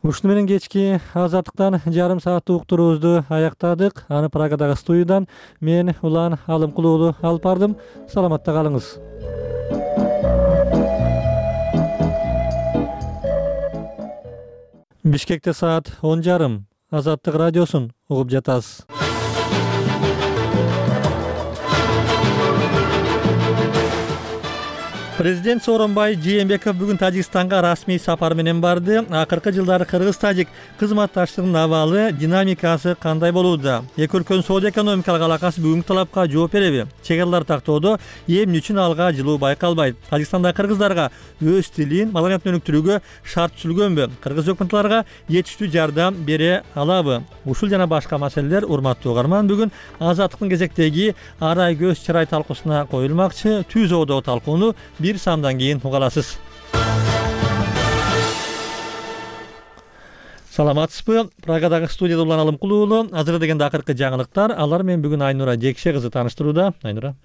Ушуну менен кечки азаттыктан жарым сааттык уктуруубузду аяктадык. Аны Прагадагы студиядан мен Улан Алымкул уулу алып бардым. Саламатта калыңыз. Бишкекте саат 10:30. Азаттык радиосун угуп жатасыз. Президент Сооронбай Жээнбеков бүгүн Тажикстанга расмий сапар менен барды. Акыркы жылдары кыргыз-тажик кызматташтыгынын абалы, динамикасы кандай болууда? Эки өлкөнүн соода-экономикалык алакасы бүгүнкү талапка жооп береби? Чек аралар тактоодо эмне үчүн алга жылуу байкалбайт? Тажикстандагы кыргыздарга өз тилин, маданиятын өнүктүрүүгө шарт түзүлгөнбү? Кыргыз өкмөттөргө жетиштүү жардам бере алабы? Ушул жана башка маселелер, урматтуу угарман, бүгүн Азаттыктын кезектеги арай көз чырай талкуусуна коюлмакчы. Түз оодо талкууну бир самдан кийин угаласыз. Саламатсызбы? Прагадагы студияда Улан Алымкул уулу. Азыр дегенде акыркы жаңылыктар. Алар менен бүгүн Айнура Жекше кызы тааныштырууда. Айнура.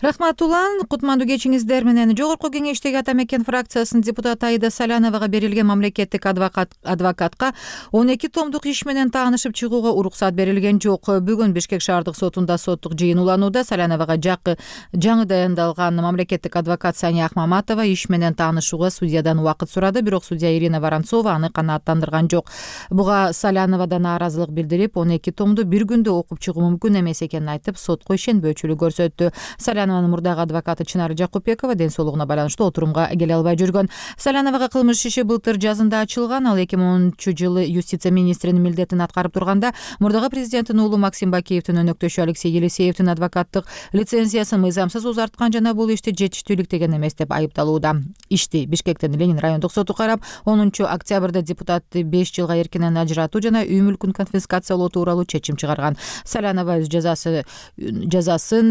Рахмат Улан. Кутмандуу кечиңиздер менен. Жогорку кеңештеги Ата Мекен фракциясынын депутаты Аида Саляновага берилген мамлекеттик адвокатка 12 томдук иш менен таанышып чыгууга уруксат берилген жок. Бүгүн Бишкек шаардык сотунда соттук жыйын уланууда. Саляновага жаңы дайындалган мамлекеттик адвокат Сания Ахмаматова иш менен таанышууга судьядан убакыт сурады, бирок судья Ирина Воронцова аны канааттандырган жок. Буга Саляновадан нааразылык билдирип, 12 томду бир күндө окуп чыгуу мүмкүн эмес экенин айтып, сотко ишенбөөчүлүк көрсөттү. Салянованын мурдагы адвокаты Чынар Жакупбекова ден соолугуна байланыштуу отурумга келе албай жүргөн. Саляновага кылмыш иши былтыр жазында ачылган. Ал 2010-жылы юстиция министринин милдетин аткарып турганда, мурдагы президенттин уулу Максим Бакиевдин өнөктөшү Алексей Елисеевдин адвокаттык лицензиясын мыйзамсыз узарткан жана бул ишти жетиштүүлүктеген эмес деп айыпталууда. Ишти Бишкектин Ленин райондук соту карап, 10 октябрда депутатты 5 жылга эркинен ажыратуу жана үй мүлкүн конфискациялоо тууралуу чечим чыгарган. Салянова өз жазасын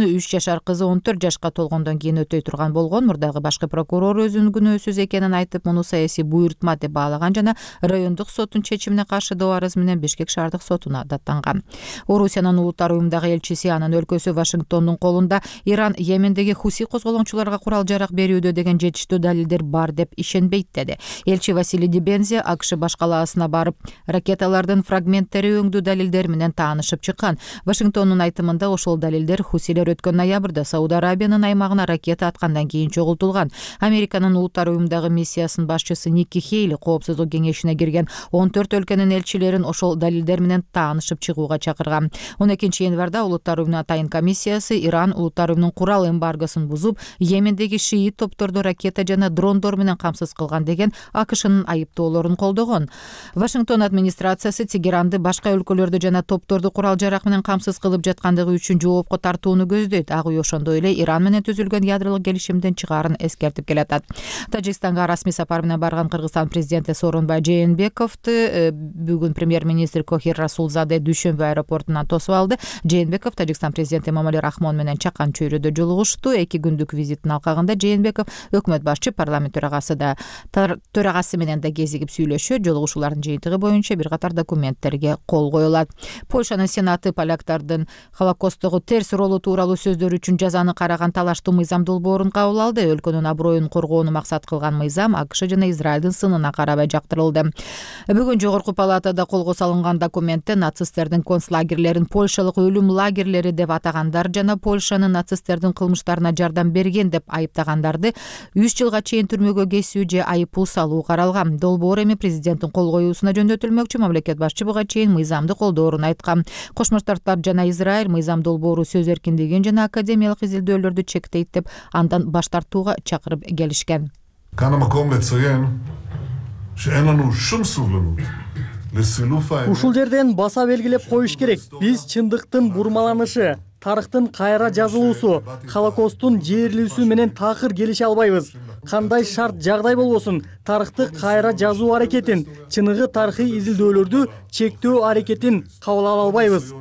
3 жашар кызы 14 жашка толгондон кийин өтөй турган болгон. Мурдагы башкы прокурор өзүнүн күнөөсүз экенин айтып, муну саясий буйртма деп баалаган жана райондук соттун чечимине каршы доо арыз менен Бишкек шаардык сотуна даттанган. Орусиянын улуттар уюмундагы элчиси, анын өлкөсү Вашингтондун колунда Иран Йемендеги хуси козголоңчуларга курал жарак берүүдө деген жетиштүү далилдер бар деп ишенбейт деди. Элчи Василий Дибензи АКШ баш калаасына барып, ракеталардын фрагменттери өңдүү далилдер менен таанышып чыккан. Вашингтондун айтымында ошол далилдер хусилер өткөн ноябрда Сауд Арабиянын аймагына ракета аткандан кийин чогултулган. Американын улуттар уюмундагы миссиясынын башчысы Никки Хейли коопсуздук кеңешине кирген 14 өлкөнүн элчилерин ошол далилдер менен таанышып чыгууга чакырган. 12 январда улуттар уюмунун атайын комиссиясы Иран улуттар уюмунун курал эмбаргосун бузуп, Йемендеги шиит топторду ракета жана дрондор менен камсыз кылган деген АКШнын айыптоолорун колдогон. Вашингтон администрациясы Тегеранды башка өлкөлөрдү жана топторду курал жарак менен камсыз кылып жаткандыгы үчүн жоопко тартууну көздөйт. Ак үй ошондой эле Иран менен түзүлгөн ядролук келишимден чыгаарын эскертип келатат. Тажикстанга расмий сапар менен барган Кыргызстан президенти Сооронбай Жээнбековду бүгүн премьер-министр Кохир Расулзаде Дүйшөмбү аэропортунан тосуп алды. Жээнбеков Тажикстан президенти Эмомали Рахмон менен чакан чөйрөдө жолугушту. 2 күндүк визиттин алкагында Жээнбеков өкмөт башчы, парламент төрагасы менен да кезигип сүйлөшөт. Жолугушуулардын жыйынтыгы боюнча бир катар документтерге кол коюлат. Польшанын сенаты поляктардын Холокосттогу терс ролу тууралуу сөздөр үчүн жазаны караган талаштуу мыйзам долбоорун кабыл алды. Өлкөнүн аброюн коргоону максат кылган мыйзам АКШ жана Израилдин сынына карабай жактырылды. Бүгүн жогорку палатада колго салынган документте нацисттердин концлагерлерин польшалык өлүм лагерлери деп атагандар жана Польшанын нацисттердин кылмыштарына жардам берген деп айыптагандарды 3 жылга чейин түрмөгө кесүү же айыппул салуу каралган. Долбоор эми президенттин кол коюусуна жөндөтүлмөкчү. Мамлекет башчы буга чейин мыйзамды колдоорун айткан. Кошмо Штаттар жана Израиль мыйзам долбоору сөз эркиндигин жана академиялык изилдөөлөрдү чектейт деп андан баш тартууга чакырып келишкен. Ушул жерден баса белгилеп коюш керек. Биз чындыктын бурмаланышы, тарыхтын кайра жазылуусу, Холокосттун жээрлүүсү менен такыр келише албайбыз. Кандай шарт жагдай болбосун, тарыхты кайра жазуу аракетин, чыныгы тарыхый изилдөөлөрдү чектөө аракетин кабыл ала албайбыз.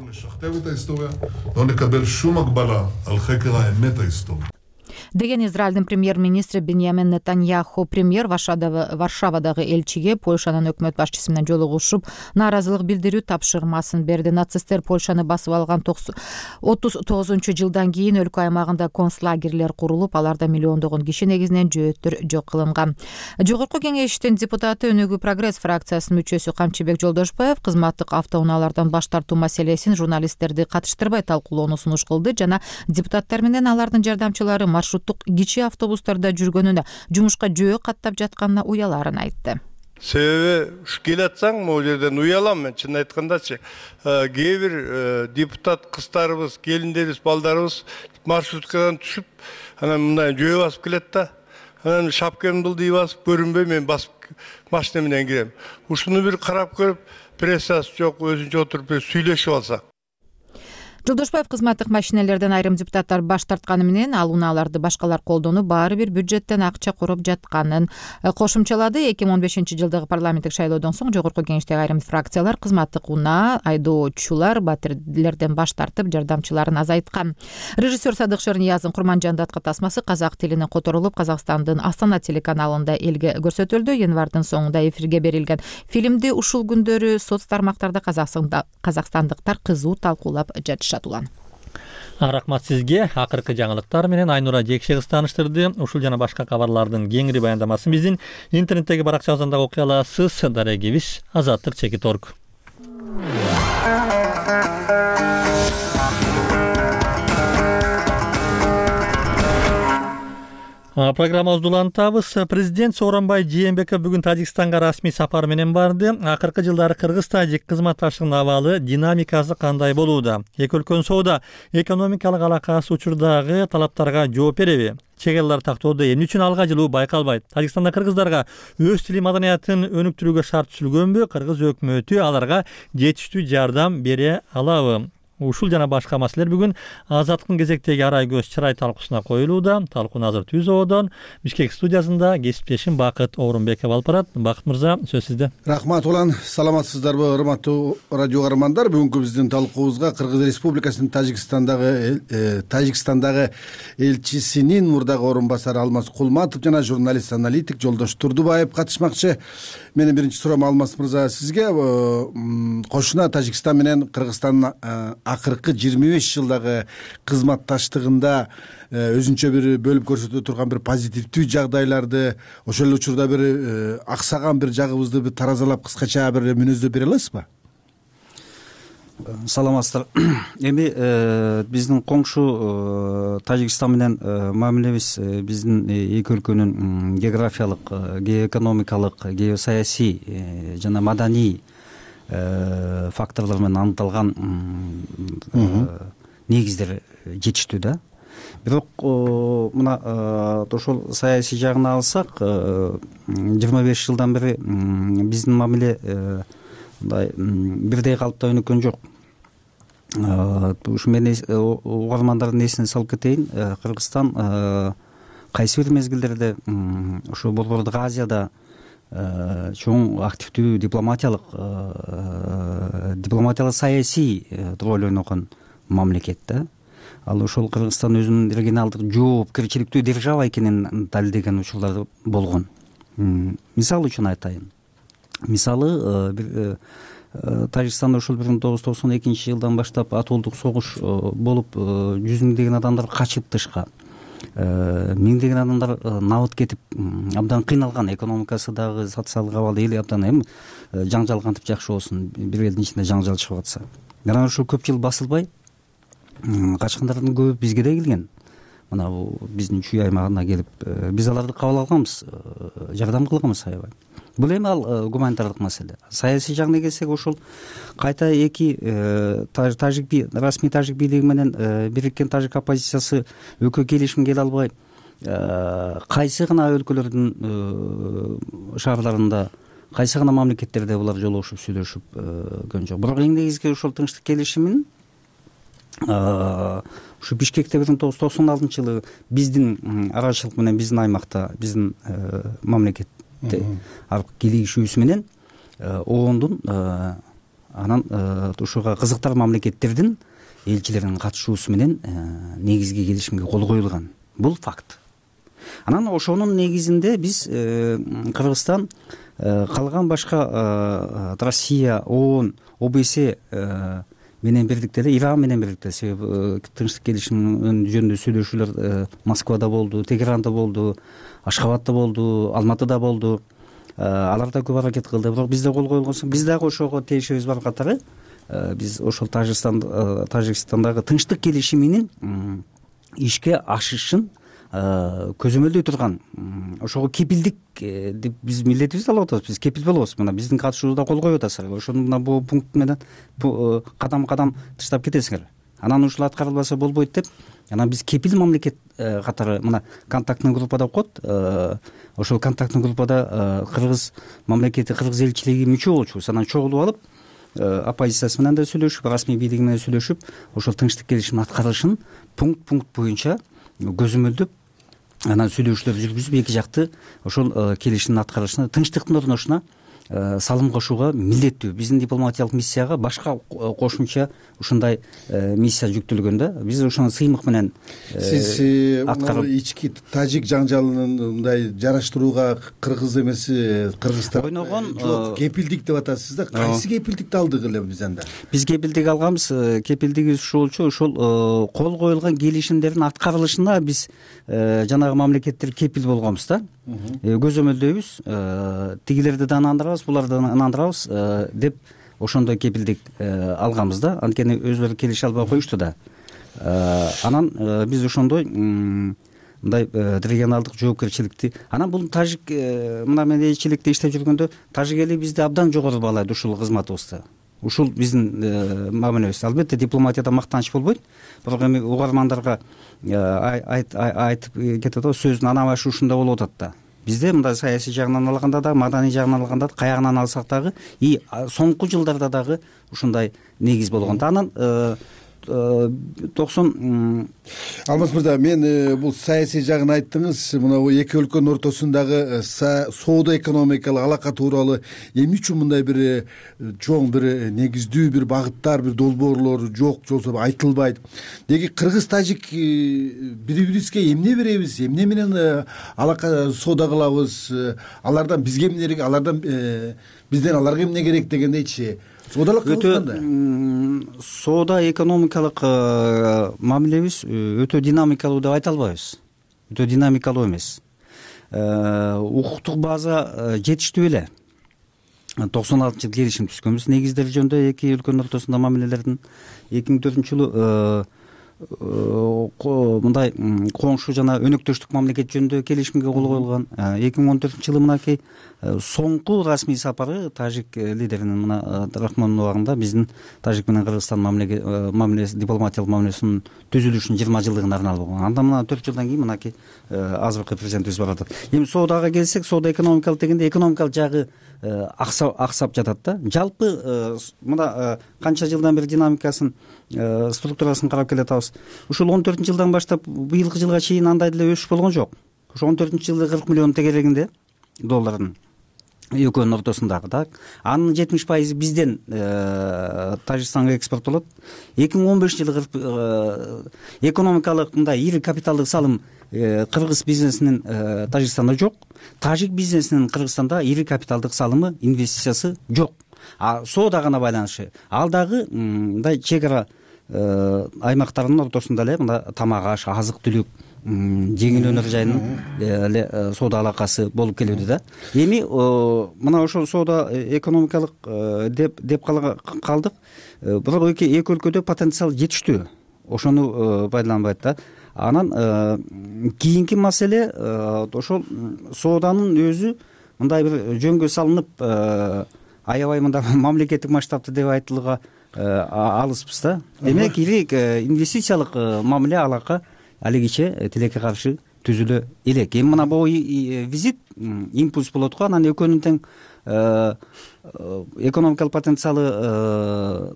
деген Израилдин премьер-министри Беньямин Нетаньяху. Премьер Варшавадагы элчиге Польшанын өкмөт башчысы менен жолугушуп, нааразылык билдирүү тапшырмасын берди. Нацисттер Польшаны басып алган 39-жылдан кийин өлкө аймагында концлагерлер курулуп, аларда миллиондогон киши негизинен жөөттөр жок кылынган. Жогорку кеңештин депутаты Өнүгүү прогресс фракциясынын мүчөсү Камчыбек Жолдошбаев кызматтык автоунаалардан баш тартуу маселесин журналисттерди катыштырбай талкуулоону сунуш кылды жана депутаттар менен алардын жардамчылары маршруттук кичи автобустарда жүргөнүнө, жумушка жөө каттап жатканына уяларын айтты. Себеби келатсаң, могу жерден уялам мен, чын айткандачы. Кээ бир депутат кыздарыбыз, келиндерибиз, балдарыбыз маршруткадан түшүп, анан мындай жөө басып келет да. Анан шапкамды былдый басып, көрүнбөй мен басып машина менен кирем. Ушуну бир карап көрүп, прессасы жок, өзүнчө отуруп сүйлөшүп алсак. Жолдошбаев кызматтык машинелерден айрым депутаттар баш тартканы менен ал унааларды башкалар колдонуп, баары бир бюджеттен акча короп жатканын кошумчалады. 2015-жылдагы парламенттик шайлоодон соң жогорку кеңештеги айрым фракциялар кызматтык унаа, айдоочулар, батирлерден баш тартып, жардамчыларын азайткан. Режиссер Садык Шернияздын Курманжандатка тасмасы казак тилине которулуп, Казакстандын Астана телеканалында элге көрсөтүлдү. Январдын соңунда эфирге берилген фильмди ушул күндөрү соц тармактарда казакстандыктар кызуу талкуулап жатышат. Рахмат сизге. Акыркы жаңылыктар менен Айнура Жекшегиз тааныштырды. Ушул жана башка кабарлардын кеңири баяндамасын биздин интернеттеги баракчабыздан да окуй аласыз. Дарегибиз Азаттык.org. Программабызды улантабыз. Президент Сооронбай Жээнбеков бүгүн Тажикстанга расмий сапар менен барды. Акыркы жылдары Кыргыз-Тажик кызматташтыгынын абалы, динамикасы кандай болууда? Эки өлкөнүн соода экономикалык алакасы учурдагы талаптарга жооп береби? Чек элдер тактоодо эмне үчүн алга жылуу байкалбайт? Тажикстанда кыргыздарга өз тили маданиятын өнүктүрүүгө шарт түзүлгөнбү? Кыргыз өкмөтү аларга жетиштүү жардам бере алабы? Ушул жана башка маселелер бүгүн Азаттыктын кезектеги арай көз чырай талкуусуна коюлууда. Талкууну азыр ТÜЗОодон Бишкек студиясында кесиптешим Бакыт Оорунбеков алып барат. Бакыт мырза, сөз сизде. Рахмат улан, саламатсыздарбы, урматтуу радио каармандар? Бүгүнкү биздин талкуубузга Кыргыз Республикасынын Тажикстандагы элчисинин мурдагы орун басары Алмаз Кулматов жана журналист-аналитик Жолдош Турдубаев катышмакчы. Менин биринчи суроом Алмаз мырза сизге. Кошуна Тажикстан менен Кыргызстандын акыркы 25 жылдагы кызматташтыгында өзүнчө бир бөлүп көрсөтө турган бир позитивдүү жагдайларды, ошол учурда бир аксаган бир жагыбызды бир таразалап кыскача бир мүнөздөп бере аласызбы? Саламатсыздар. Эми биздин коңшу Тажикстан менен мамилебиз биздин эки өлкөнүн географиялык, геоэкономикалык, геосаясий жана маданий факторлор менен аныкталган негиздер жетиштүү да. Бирок мына ошол саясий жагын алсак, 25 жылдан бери биздин мамиле мындай бирдей калыпта өнүккөн жок. Ушу мен угармандардын эсине салып кетейин. Кыргызстан кайсы бир мезгилдерде ушу Борбордук Азияда чоң активдүү дипломатиялык саясий роль ойногон мамлекет да. Ал ошол Кыргызстан өзүнүн регионалдык жоопкерчиликтүү держава экенин далилдеген учурлар болгон. Мисал үчүн айтайын. Мисалы бир Тажикстанда ошол 1992 жылдан баштап атуулдук согуш болуп, 100 миңдеген адамдар качып тышка. Миңдеген адамдар набыт кетип, абдан кыйналган, экономикасы дагы социалдык абалы эл абдан жаңжал кантип жакшы болсун, бир элдин ичинде жаңжал чыгып атса. Анан ушул көп жыл басылбай качкандардын көбү бизге да келген. Мына бул биздин чүй аймагына келип, биз аларды кабыл алганбыз, жардам кылганбыз аябай. Бул эми ал гуманитардык маселе. Саясий жагына келсек, ошол кайта эки расмий тажик бийлиги менен бириккен тажик оппозициясы экөө келишимге келе албай, кайсы гана өлкөлөрдүн шаарларында, кайсы гана мамлекеттерде булар жолугушуп сүйлөшүп көн жок. Бирок эң негизги ошол тынчтык келишимин ушу Бишкекте 1996 жылы биздин арачылык менен биздин аймакта, биздин мамлекетте кийлигишүүсү менен оондун анан ушуга кызыктар мамлекеттердин элчилеринин катышуусу менен негизги келишимге кол коюлган. Бул факт. Анан ошонун негизинде биз Кыргызстан калган башка Россия, ООН, ОБС менен бирдикте эле, Иран менен бирдикте, себеби тынчтык келишими жөнүндө сүйлөшүүлөр Москвада болду, Тегеранда болду, Ашхабадта болду, Алматыда болду. Алар да көп аракет кылды, бирок бизде кол коюлгон соң биз дагы ошого тиешебиз бар катары биз ошол Тажикстандагы тынчтык келишиминин ишке ашышын көзөмөлдөй турган ошого кепилдик деп биз милдетибизди алып атабыз. Биз кепил болобуз. Мына биздин катышуубузда кол коюп атасыздар. Ошону мына бул пункт менен кадам тыштап кетесиңер. Анан ушул аткарылбаса болбойт деп, анан биз кепил мамлекет катары мына контактный группада коет. Ошол контактный группада Кыргыз мамлекети, Кыргыз элчилиги мүчө болчубуз. Анан чогулуп алып, оппозициясы менен да сүйлөшүп, расмий бийлиги менен сүйлөшүп, ошол тынчтык келишимин аткарылышын пункт боюнча көзөмөлдөп, анан сүйлөшүүлөр жүргүзүп, эки жакты ошол келишимдин аткарылышына, тынчтыктын орношуна салым кошууга милдеттүү. Биздин дипломатиялык миссияга башка кошумча ушундай миссия жүктөлгөндө биз ошону сыймык менен сиз ички тажик жаңжалынын мындай жараштырууга кыргыз эмес Кыргызстан ойногон жок, кепилдик деп атасыз да. Кайсы кепилдикти алдык эле биз анда? Биз кепилдик алганбыз. Кепилдигибиз ушул болчу, ошол кол коюлган келишимдердин аткарылышына биз жанагы мамлекеттер кепил болгонбуз да. Көзөмөлдөйбүз, тигилерди да ынандырабыз, буларды ынандырабыз деп ошондой кепилдик алганбыз да. Анткени өзүлөрү келише албай коюшту да. Анан биз ошондой мындай регионалдык жоопкерчиликти, анан бул тажик мына мен элчиликте иштеп жүргөндө тажик эли бизди абдан жогору баалайт ушул кызматыбызды. Ушул биздин мамилебиз. Албетте дипломатияда мактаныч болбойт, бирок эми угармандарга айтып кетет да, сөздүн ана башы ушундай болуп атат да. Бизде мындай саясий жагынан алганда да, маданий жагынан алганда да, каягынан алсак дагы соңку жылдарда дагы ушундай негиз болгон. Анан 90 Алмаз мырза, мен бул саясий жагын айттыңыз. Мына эки өлкөнүн ортосундагы соода экономикалык алака тууралуу эмне үчүн мындай бир чоң бир негиздүү бир багыттар, бир долбоорлор жок, жолсо айтылбайт? Деги кыргыз тажик бири-бирибизге эмне беребиз, эмне менен алака соода кылабыз? Алардан бизге эмне керек, алардан бизден аларга эмне керек дегендейчи. Соодалык кылганда соода экономикалык мамилебиз өтө динамикалуу деп айта албайбыз. Өтө динамикалуу эмес. Укуктук база жетиштүү эле. 96-жылы келишим түзгөнбүз. Негиздери жөнүндө эки өлкөнүн ортосунда мамилелердин 2004-жылы мындай коңшу жана өнөктөштүк мамлекет жөнүндө келишимге кол коюлган. 2014-жылы мынакей соңку расмий сапары тажик лидеринин мына Рахмонов убагында биздин тажик менен Кыргызстан мамилеси, дипломатиялык мамилесинин түзүлүшүнүн 20 жылдыгына арналып болгон. Анда мына 4 жылдан кийин мынакей азыркы президентибиз барып атат. Эми соодага келсек, соода экономикалык дегенде экономикалык жагы аксап жатат да. Жалпы мына канча жылдан бери динамикасын, структурасын карап келатабыз. Ушул 14-жылдан баштап быйылкы жылга чейин андай деле өсүш болгон жок. Ошо 14-жылы 40 миллион тегерегинде доллардын экөөнүн ортосундагы да. Анын 70% бизден Тажикстанга экспорттолот. 2015-жылы экономикалык мындай ири капиталдык салым кыргыз бизнесинин Тажикстанда жок. Тажик бизнесинин Кыргызстанда ири капиталдык салымы, инвестициясы жок. Соода гана байланышы. Ал дагы мындай чек ара аймактарынын ортосунда эле мына тамак аш, азык-түлүк, жеңил өнөр жайынын эле соода алакасы болуп келүүдө да. Эми мына ошол соода экономикалык деп калдык. Бирок эки өлкөдө потенциал жетиштүү. Ошону пайдаланбайт да. Анан кийинки маселе ошол сооданын өзү мындай бир жөнгө салынып аябай мындай мамлекеттик масштабты деп айтылууга алыспыз да. Демек ири инвестициялык мамиле алака алигиче тилекке каршы түзүлө элек. Эми мына бул визит импульс болот го. Анан экөөнүн тең экономикалык потенциалы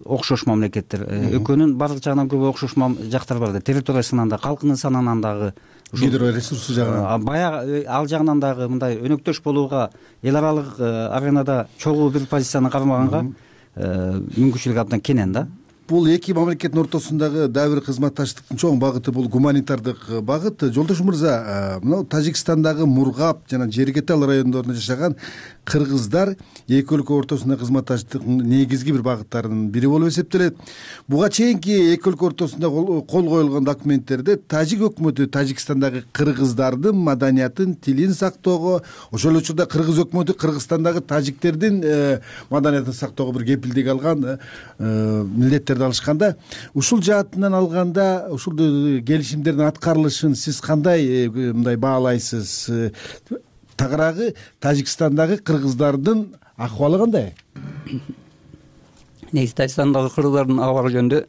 окшош мамлекеттер. Экөөнүн бардык жагынан көп окшош жактар бар да. Территориясынан да, калкынын санынан дагы, гидро ресурсу жагынан, баягы ал жагынан дагы мындай өнөктөш болууга, эл аралык аренада чогуу бир позицияны кармаганга мүмкүнчүлүк абдан кенен да. бул эки мамлекеттин ортосундагы дагы бир кызматташтыктын чоң багыты бул гуманитардык багыт. Жолдош мырза, мына Тажикстандагы Мургап жана Жергетал райондорунда жашаган кыргыздар эки өлкө ортосундагы кызматташтыктын негизги бир багыттарынын бири болуп эсептелет. Буга чейинки эки өлкө ортосунда кол коюлган документтерде тажик өкмөтү Тажикстандагы кыргыздардын маданиятын, тилин сактоого, ошол эле учурда кыргыз өкмөтү Кыргызстандагы тажиктердин маданиятын сактоого бир кепилдик алган, милдеттерди алышканда, ушул жаатынан алганда ушул келишимдердин аткарылышын сиз кандай мындай баалайсыз? Тагыраагы Тажикстандагы кыргыздардын акыбалы кандай? Негизи Тажикстандагы кыргыздардын абалы жөнүндө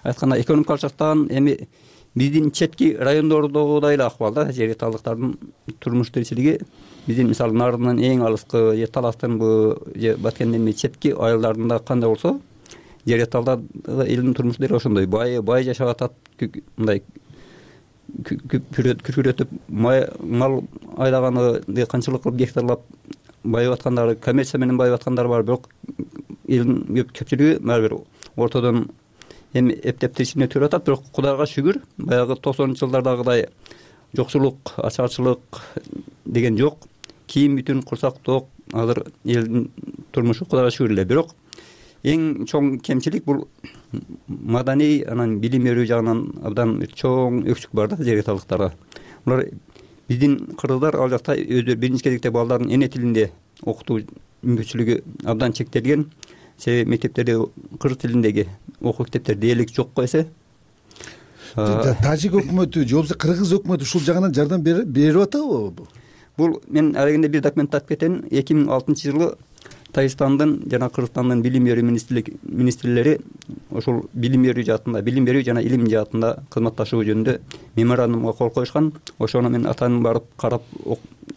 айтканда экономикалык жактан эми биздин четки райондордогудай эле акыбал да. Жергеталдыктардын турмуш тиричилиги биздин мисалы Нардынын эң алыскы же Таластынбы же Баткендин четки айылдарында кандай болсо, Жергеталда элдин турмушу деле ошондой бай жашап атат, мындай күркүрөтүп мал айдаганы, дыйканчылык кылып гектарлап байып аткандары, коммерция менен байып аткандар бар, бирок элдин көпчүлүгү баары бир ортодон эми эптеп тиричиликтене төрөп атат. Бирок Кудайга шүгүр, баягы 90-жылдардагыдай жоксулук, ачарчылык деген жок. Кийим бүтүн курсак ток, азыр элдин турмушу Кудайга шүгүр эле. Бирок эң чоң кемчилик бул маданий, анан билим берүү жагынан абдан чоң өксүк бар да жергеталдыктарга. Булар биздин кыргыздар ал жакта өздөрү биринчи кезекте балдарын эне тилинде окутуу мүмкүнчүлүгү абдан чектелген. Себеби мектептерде кыргыз тилиндеги окуу китептер дээрлик жок койсо, тажик өкмөтү же болбосо кыргыз өкмөтү ушул жагынан жардам берип атабы? Бул мен алегенде бир документти айтып кетейин. 2006-жылы Тажикстандын жана Кыргызстандын билим берүү министрлери ошол билим берүү жаатында, билим берүү жана илим жаатында кызматташуу жөнүндө меморандумга кол коюшкан. Ошону мен атайын барып карап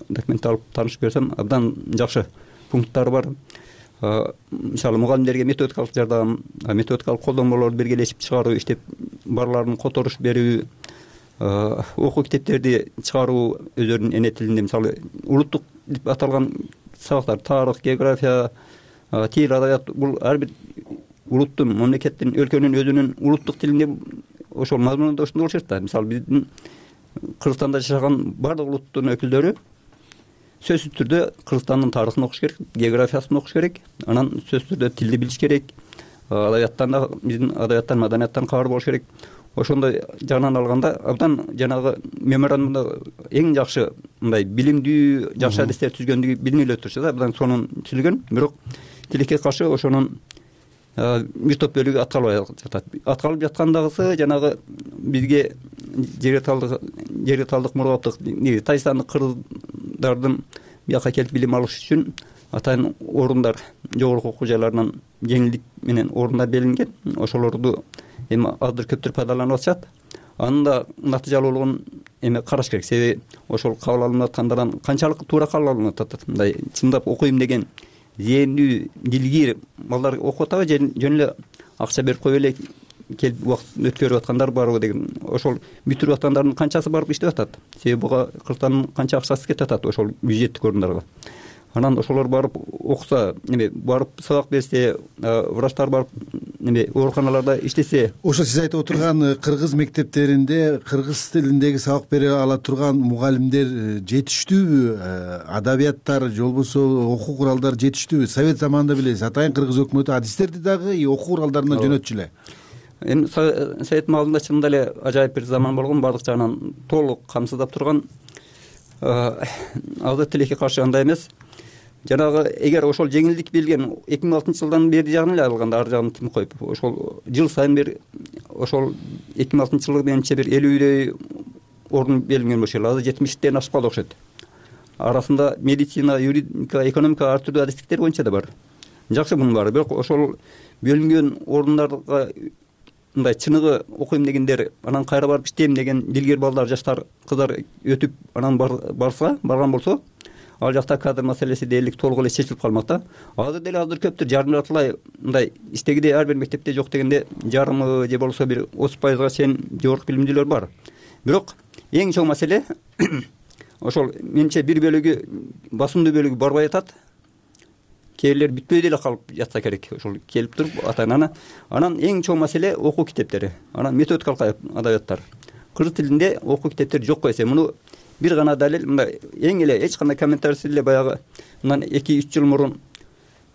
документти алып таанышып берсем, абдан жакшы пункттары бар. Мисалы мугалимдерге методикалык жардам, методикалык колдонмолорду биргелешип чыгаруу, иштеп барларын которуш берүү, окуу китептерди чыгаруу өздөрүнүн эне тилинде, мисалы улуттук деп аталган сабактар, тарых, география, тил, адабият, бул ар бир улуттун, мамлекеттин, өлкөнүн өзүнүн улуттук тилинде ошол мазмунунда ошондой болуш керек да. Мисалы биздин Кыргызстанда жашаган бардык улуттун өкүлдөрү сөзсүз түрдө Кыргызстандын тарыхын окуш керек, географиясын окуш керек, анан сөзсүз түрдө тилди билиш керек, адабияттан да, биздин адабияттан, маданияттан кабар болуш керек. Ошондой жагынан алганда абдан жанагы меморандумда эң жакшы мындай билимдүү, жакшы адистер түзгөндүгү билинип эле турчу да, абдан сонун түзүлгөн. Бирок тилекке каршы ошонун бир топ бөлүгү аткарылбай жатат. Аткарылып жаткандагысы жанагы бизге жергеталдык мургаптык Тажикстандык кыргыздардын бияка келип билим алыш үчүн атайын орундар, жогорку окуу жайларынан жеңилдик менен орундар белгиленген. Ошолорду эми аздыр көптүр пайдаланып атышат. Анын да натыйжалуулугун эми караш керек. Себеби ошол кабыл алынып аткандардан канчалык туура кабыл алынып атат. Мындай чындап окуйм деген зээндүү, дилгир балдар окуп атабы же жөн эле акча берип коюп эле келип убакыт өткөрүп аткандар барбы деген. Ошол бүтүрүп аткандардын канчасы барып иштеп атат. Себеби буга Кыргызстандын канча акчасы кетип атат ошол бюджеттик орундарга. Анан ошолор барып окуса, эме барып сабак берсе, врачтар барып эме ооруканаларда иштесе. Ошо сиз айтып отурган кыргыз мектептеринде кыргыз тилиндеги сабак бере ала турган мугалимдер жетиштүүбү? Адабияттар же болбосо окуу куралдары жетиштүүбү? Совет заманында билесиз, атайын кыргыз өкмөтү адистерди дагы окуу куралдарынан жөнөтчү эле. Эми Совет маалында чындап эле ажайып бир заман болгон, бардык жагынан толук камсыздап турган. Азыр тилекке каршы андай эмес. Жанагы эгер ошол жеңилдик берилген 2006-жылдан бери жагын эле алганда, ар жагын тим коюп, ошол жыл сайын бир ошол 2006-жылы менимче бир 50-дөй орун берилген болчу. Азыр 70-тен ашып калды окшойт. Арасында медицина, юридика, экономика ар түрдүү адистиктер боюнча да бар. Жакшы мунун баары. Бирок ошол бөлүнгөн орундарга мындай чыныгы окуйм дегендер, анан кайра барып иштейм деген дилгер балдар, жаштар, кыздар өтүп анан барган болсо, ал жакта кадр маселеси дээрлик толук эле чечилип калмак да. Азыр деле көптүр жарым жартылай мындай иштегидей ар бир мектепте жок дегенде жарымы же болбосо бир 30%га чейин жогорку билимдүүлөр бар. Бирок эң чоң маселе ошол менимче бир бөлүгү, басымдуу бөлүгү барбай атат. кээ бирлер бүтпөй деле калып жатса керек. Ошол келип туруп ата ананы. Анан эң чоң маселе окуу китептери. Анан методикалык адабияттар. Кыргыз тилинде окуу китептери жок койсо, муну бир гана далил, мындай эң эле эч кандай комментарийsiz эле баягы мындан 2-3 жыл мурун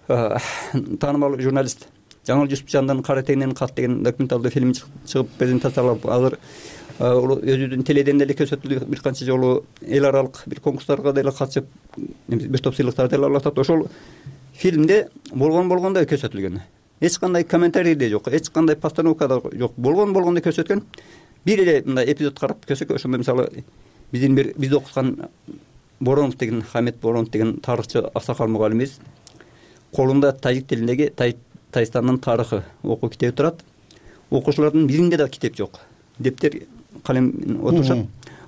таанымал журналист Жаңыл Жусупжандын Кара теңнен кат деген документалдуу фильм чыгып презентациялап, азыр өзүнүн теледен деле көрсөтүлдү, бир канча жолу эл аралык бир конкурстарга деле катышып, бир топ сыйлыктарды деле алып атат. Ошол фильмде болгондой көрсөтүлгөн. Эч кандай комментарий да жок, эч кандай постановка да жок. Болгондой көрсөткөн. Бир эле мындай эпизод карап көрсөк, ошондо мисалы биз окуткан Боронов деген, Хамет Боронов деген тарыхчы аксакал мугалимибиз колунда тажик тилиндеги Тайстандын тарыхы окуу китеби турат. Окуучулардын биринде да китеп жок. Дептер, калем отурушат.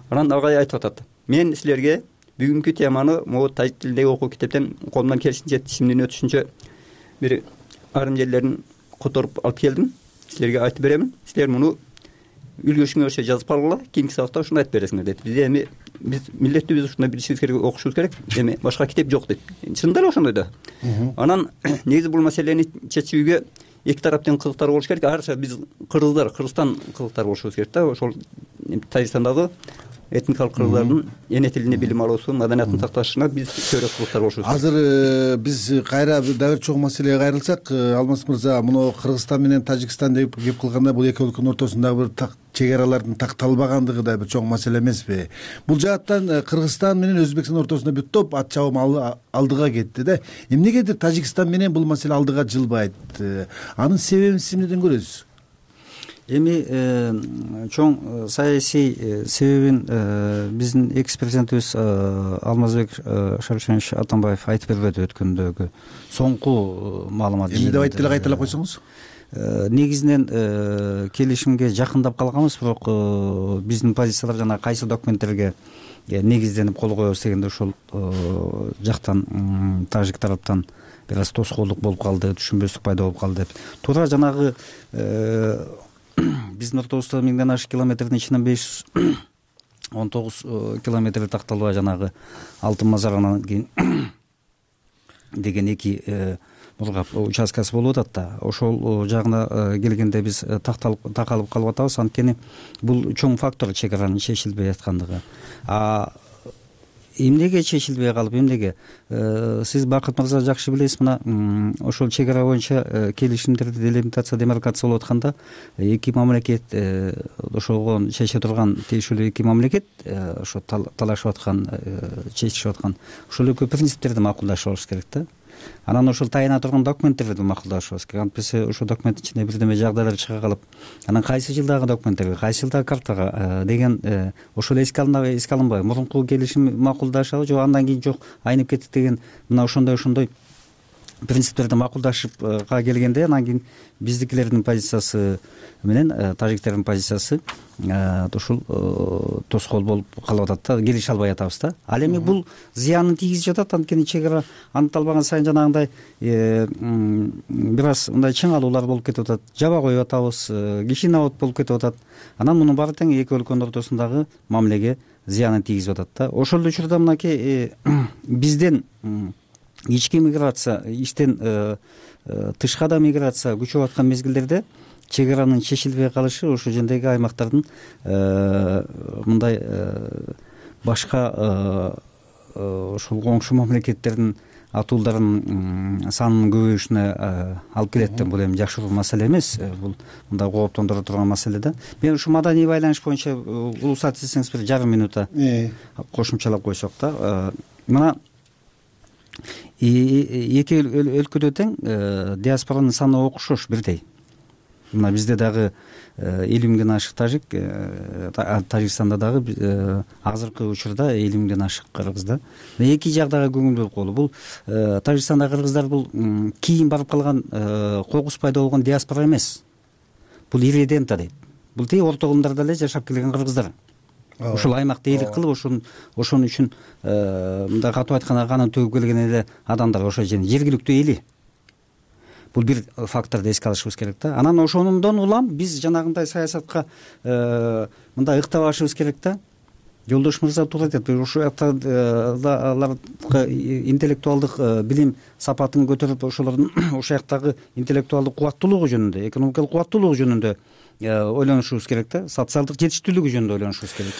Анан агай айтып атат: "Мен силерге бүгүнкү теманы могу тажик тилиндеги окуу китептен колумдан келишинче тишимдин өтүшүнчө бир айрым жерлерин которуп алып келдим. Силерге айтып беремин. Силер муну үлгүрүшүңөрчө жазып алгыла, кийинки сабакта ушуну айтып бересиңер" дейт. Биз милдеттүү биз ушундай билишибиз керек, окушубуз керек. Эми башка китеп жок дейт. Чындап эле ошондой да. Анан негизи бул маселени чечүүгө эки тараптын кызыктары болуш керек. Айрыкча биз Кыргызстан кызыктары болушубуз керек да. Ошол Тажикстандагы этникалык кыргыздардын эне тилинде билим алуусу, маданиятын сакташына биз көрөк кызыктар болушубуз керек. Азыр биз кайра дагы чоң маселеге кайрылсак, Алмаз мырза, муну Кыргызстан менен Тажикстан деп кеп кылганда бул эки өлкөнүн ортосундагы бир чек аралардын такталбагандыгы да бир чоң маселе эмеспи? Бул жааттан Кыргызстан менен Өзбекстан ортосунда бир топ ат чабым алдыга кетти да. Эмнегедир Тажикстан менен бул маселе алдыга жылбайт? Анын себебин сиз эмнеден көрөсүз? Эми чоң саясий себебин биздин экс-президентибиз Алмазбек Шарипжанович Атамбаев айтып бербеди өткөндөгү соңку маалымат. Эмне деп айтты эле, кайталап койсоңуз? Негизинен келишимге жакындап калганбыз, бирок биздин позициялар жана кайсы документтерге негизденип кол коебуз дегенде ошол жактан тажик тараптан бир аз тоскоолдук болуп калды, түшүнбөстүк пайда болуп калды деп. Туура жанагы биздин ортобузда 1000ден ашык километрдин ичинен 519 километри такталбай жанагы Алтын Мазар деген эки мургап участкасы болуп атат да. Ошол жагына келгенде биз такалып калып атабыз. Анткени бул чоң фактор чек аранын чечилбей аткандыгы. Эмнеге чечилбей калып, эмнеге? Сиз Бакыт мырза жакшы билесиз, мына ошол чек ара боюнча келишимдерди делимитация, демаркация болуп атканда эки мамлекет ошого чече турган тиешелүү эки мамлекет ошо талашып аткан, чечишип аткан ошол экөө принциптерди макулдашып алыш керек да. Анан ошол таяна турган документтерди макулдашыбыз керек. Антпесе ошол документтин ичинде бирдеме жагдайлар чыга калып, анан кайсы жылдагы документтерге, кайсы жылдагы картага деген ошол эске алынбайбы? Мурунку келишим макулдашабы, жок андан кийин жок айнып кеттик деген мына ошондой принциптерди макулдашыпка келгенде, анан кийин биздикилердин позициясы менен тажиктердин позициясы ушул тоскоол болуп калып атат да, келише албай атабыз да. Ал эми бул зыянын тийгизип жатат, анткени чек ара аныкталбаган сайын жанагындай бир аз мындай чыңалуулар болуп кетип атат, жаба коюп атабыз, кишинабот болуп кетип атат. Анан мунун баары тең эки өлкөнүн ортосундагы мамилеге зыянын тийгизип атат да. Ошол учурда мынакей бизден ички миграция, иштен тышка да миграция күчөп аткан мезгилдерде чек аранын чечилбей калышы ошол жердеги аймактардын мындай башка ошол коңшу мамлекеттердин атуулдарынын санынын көбөйүшүнө алып келет да. Бул эми жакшы маселе эмес, бул мындай кооптондура турган маселе да. Мен ушу маданий байланыш боюнча уруксат этсеңиз бир жарым минута кошумчалап койсок да. Мына эки өлкөдө тең диаспоранын саны окшош, бирдей. Мына бизде дагы 50 миңден ашык тажик, Тажикстанда дагы азыркы учурда 50 миңден ашык кыргыз да. Эки жагдагы көңүл болуп калды. Бул Тажикстандагы кыргыздар бул кийин барып калган кокус пайда болгон диаспора эмес. Бул ирредента дейт. Бул тээ орто кылымдарда эле жашап келген кыргыздар. Ошол аймакта элик кылып, ошон үчүн мындай катуу айтканда канын төгүп келген эле адамдар, ошол жердин жергиликтүү эли. Бул бир факторду эске алышыбыз керек да. Анан ошондон улам биз жанагындай саясатка мындай ыктабашыбыз керек да. жолдош мырза туура айтат. Ошол жакта аларга интеллектуалдык билим сапатын көтөрүп, ошолордун ошол жактагы интеллектуалдык кубаттуулугу жөнүндө, экономикалык кубаттуулугу жөнүндө ойлонушубуз керек да, социалдык жетиштүүлүгү жөнүндө ойлонушубуз керек.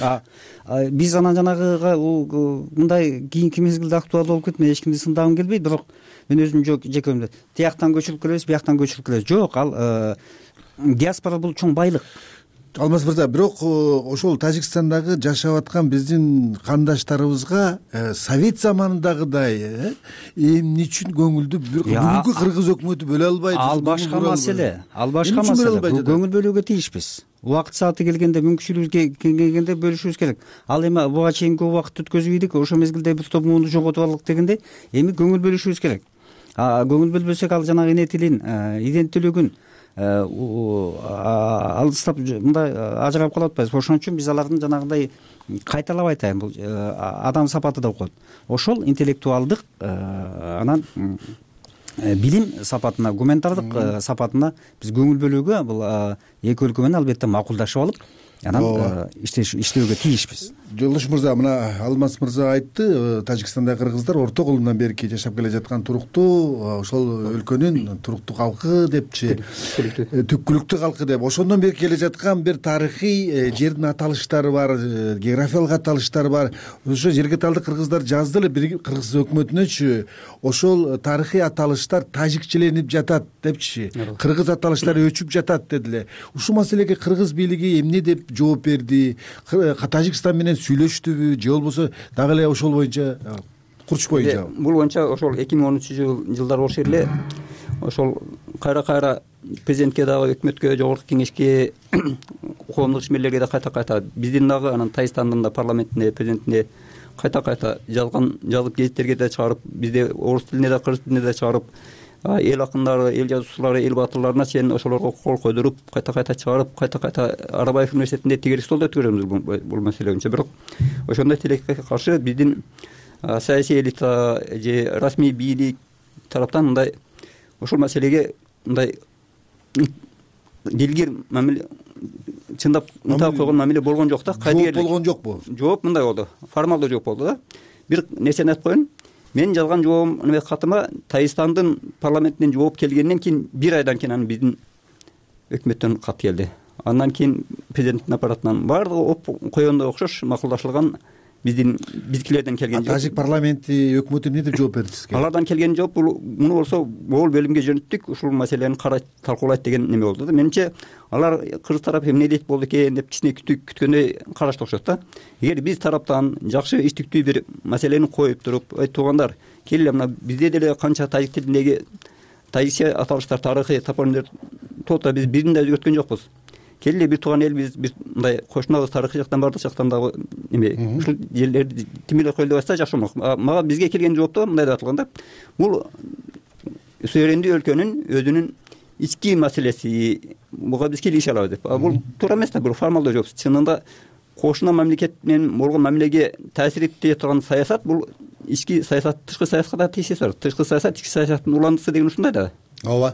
Биз анан жанагыга мындай кийинки мезгилде актуалдуу болуп кетме, эч кимди сындагым келбейт, бирок мен өзүм жеке өмүмдө тияктан көчүрүп келебиз, бияктан көчүрүп келебиз. Жок, ал диаспора бул чоң байлык. Алмаз мырза, бирок ошол Тажикстандагы жашап аткан биздин кандаштарыбызга совет заманындагыдай эмне үчүн көңүлдү бүгүнкү кыргыз өкмөтү бөлө албайт? Ал башка маселе. Көңүл бөлүүгө тийишпиз. Убакыт сааты келгенде, мүмкүнчүлүгүбүз келгенде бөлүшүбүз керек. Ал эми буга чейин көп убакыт өткөзүп ийдик, ошол мезгилде бир топ муунду жоготуп алдык дегенде, эми көңүл бөлүшүбүз керек. Көңүл бөлбөсөк, ал жанагы эне тилин, иденттүүлүгүн алыстап мындай ажырап калып атпайбыз. Ошон үчүн биз алардын жанагындай кайталап айтайын, бул адам сапаты деп коет. Ошол интеллектуалдык, анан билим сапатына, гуманитардык сапатына биз көңүл бөлүүгө бул эки өлкө менен албетте макулдашып алып, анан иштөөгө тийишпиз. Жолдош мырза, мына Алмаз мырза айтты, Тажикстандагы кыргыздар орто колундан берки жашап келе жаткан туруктуу ошол өлкөнүн туруктуу калкы депчи, түпкүлүктүү калкы деп, ошондон бери келе жаткан бир тарыхый жердин аталыштары бар, географиялык аталыштары бар. Ошо жерге талдык кыргыздар жазды эле, бир кыргыз өкмөтүнөчү ошол тарыхый аталыштар тажикчеленип жатат депчи, кыргыз аталыштары өчүп жатат дедиле. Ушул маселеге кыргыз бийлиги эмне деп жооп берди? Тажикстан менен сүйлөштүбү, же болбосо дагы эле ошол боюнча курч боюнча? Бул боюнча ошол 2013-жылдар болуш эле ошол кайра президентке дагы, өкмөткө, жогорку кеңешке, коомдук ишмерлерге да кайта биздин дагы анан Тажикстандын да парламентине, президентине кайта жазып гезиттерге да чыгарып, бизде орус тилине да, кыргыз тилине да чыгарып, эл акындары, эл жазуучулары, эл баатырларына чейин ошолорго кол койдуруп, кайта чыгарып, кайта Арабаев университетинде тегерек столдо өткөрөбүз бул маселе боюнча. Бирок ошондой тилекке каршы биздин саясий элита же расмий бийлик тараптан мындай ушул маселеге мындай дилгир мамиле, чындап ынталап койгон мамиле болгон жок да. Жооп болгон жокпу? Жооп мындай болду, формалдуу жооп болду да. Бир нерсени айтып коеюн. Мен жазган жообум катыма Тажикстандын парламентинен жооп келгенден кийин бир айдан кийин анан биздин өкмөттөн кат келди. Андан кийин президенттин аппаратынан баардыгы койгондой окшош макулдашылган биздикилерден келген жооп. Тажик парламенти, өкмөтү эмне деп жооп берди сизге? Алардан келген жооп муну болсо могул бөлүмгө жөнөттүк, ушул маселени карайт, талкуулайт деген неме болду да. Менимче алар кыргыз тарап эмне дейт болду экен деп кичине күткөндөй карашты окшойт да. Эгер биз тараптан жакшы иштиктүү бир маселени коюп туруп, ой туугандар, келе мына бизде деле канча тажик тилиндеги тажикче аталыштар, тарыхый топонимдер толтура биз бирин да өзгөрткөн жокпуз. Келе бир тууган эл, биз мындай кошунабыз, тарыхый жактан бардык жактан дагы эме ушул жерлерди тимирлей коелу деп атса жакшы болмок. Мага бизге келген жоопто мындай деп атылган да. Бул суверендүү өлкөнүн өзүнүн ички маселеси, буга биз кийлигише алабыз деп. Бул туура эмес да, бул формалдуу жооп. Чынында кошуна мамлекет менен болгон мамилеге таасир этпей турган саясат, бул ички саясат, тышкы саясатка да тийишеси бар. Тышкы саясат ички саясаттын уландысы деген ушундай да. Ооба.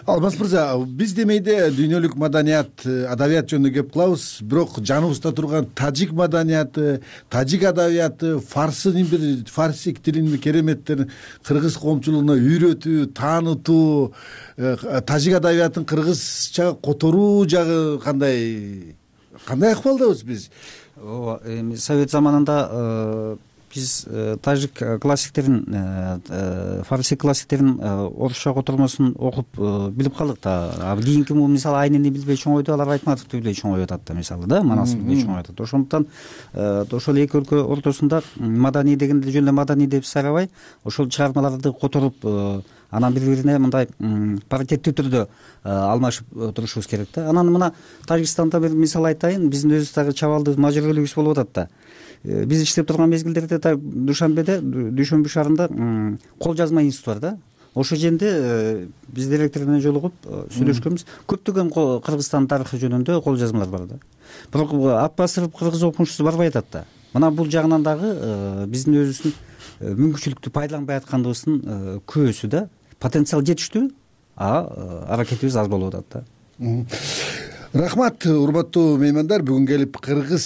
Алмаз мырза, биз демейде дүйнөлүк маданият, адабият жөнүндө кеп кылабыз, бирок жаныбызда турган тажик маданияты, тажик адабияты, фарси тилинин кереметтерин кыргыз коомчулугуна үйрөтүү, таанытуу, тажик адабиятын кыргызча которуу жагы кандай акыбалдабыз биз? Ооба, совет заманында биз тажик классиктерин, фарси классиктерин орусча котормосун окуп билип калдык да. Кийинки мисалы Айнени билбей чоңойду, алар Айтматовду билбей чоңоюп атат да, мисалы да, Манасты билбей чоңоюп атат. Ошондуктан ошол эки өлкө ортосунда маданий дегенде жөн эле маданий деп сайрабай, ошол чыгармаларды которуп, анан бири-бирине мындай паритеттүү түрдө алмашып турушубуз керек да. Анан мына Тажикстанда бир мисал айтайын, биздин өзүбүз дагы чабалдуу мажбүрөлүгүбүз болуп атат да. Биз иштеп турган мезгилдерде Дүйшөмбү шаарында кол жазма институту бар да. Ошол жерде биз директор менен жолугуп сүйлөшкөнбүз. Көптөгөн Кыргызстан тарыхы жөнүндө кол жазмалар бар да. Бирок ат басырып кыргыз окумушту барбай атат да. Мына бул жагынан дагы биздин өзүбүздүн мүмкүнчүлүктү пайдаланбай атканыбыздын күбөсү да. Потенциал жетиштүү, аракетибиз аз болуп атат да. Рахмат, урматтуу меймандар. Бүгүн келип кыргыз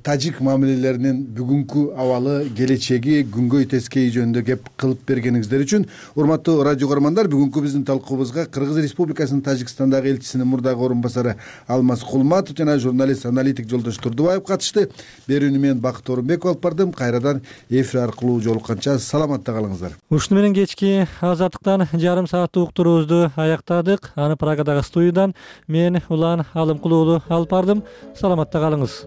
тажик мамилелеринин бүгүнкү абалы, келечеги, күнгөй тескейи жөнүндө кеп кылып бергениңиздер үчүн. Урматтуу радио көрөрмандар, бүгүнкү биздин талкуубузга Кыргыз Республикасынын Тажикстандагы элчисинин мурдагы орун басары Алмаз Кулматов жана журналист аналитик Жолдош Турдубаев катышты. Берүүнү мен Бакыт Орунбеков алып бардым. Кайрадан эфир аркылуу жолукканча саламатта калыңыздар. Ушуну менен кечки Азаттыктан жарым сааттык уктуруубузду аяктадык. Аны Прагадагы студиядан мен Улан Алымкулуу алып бардым. Саламатта калыңыз.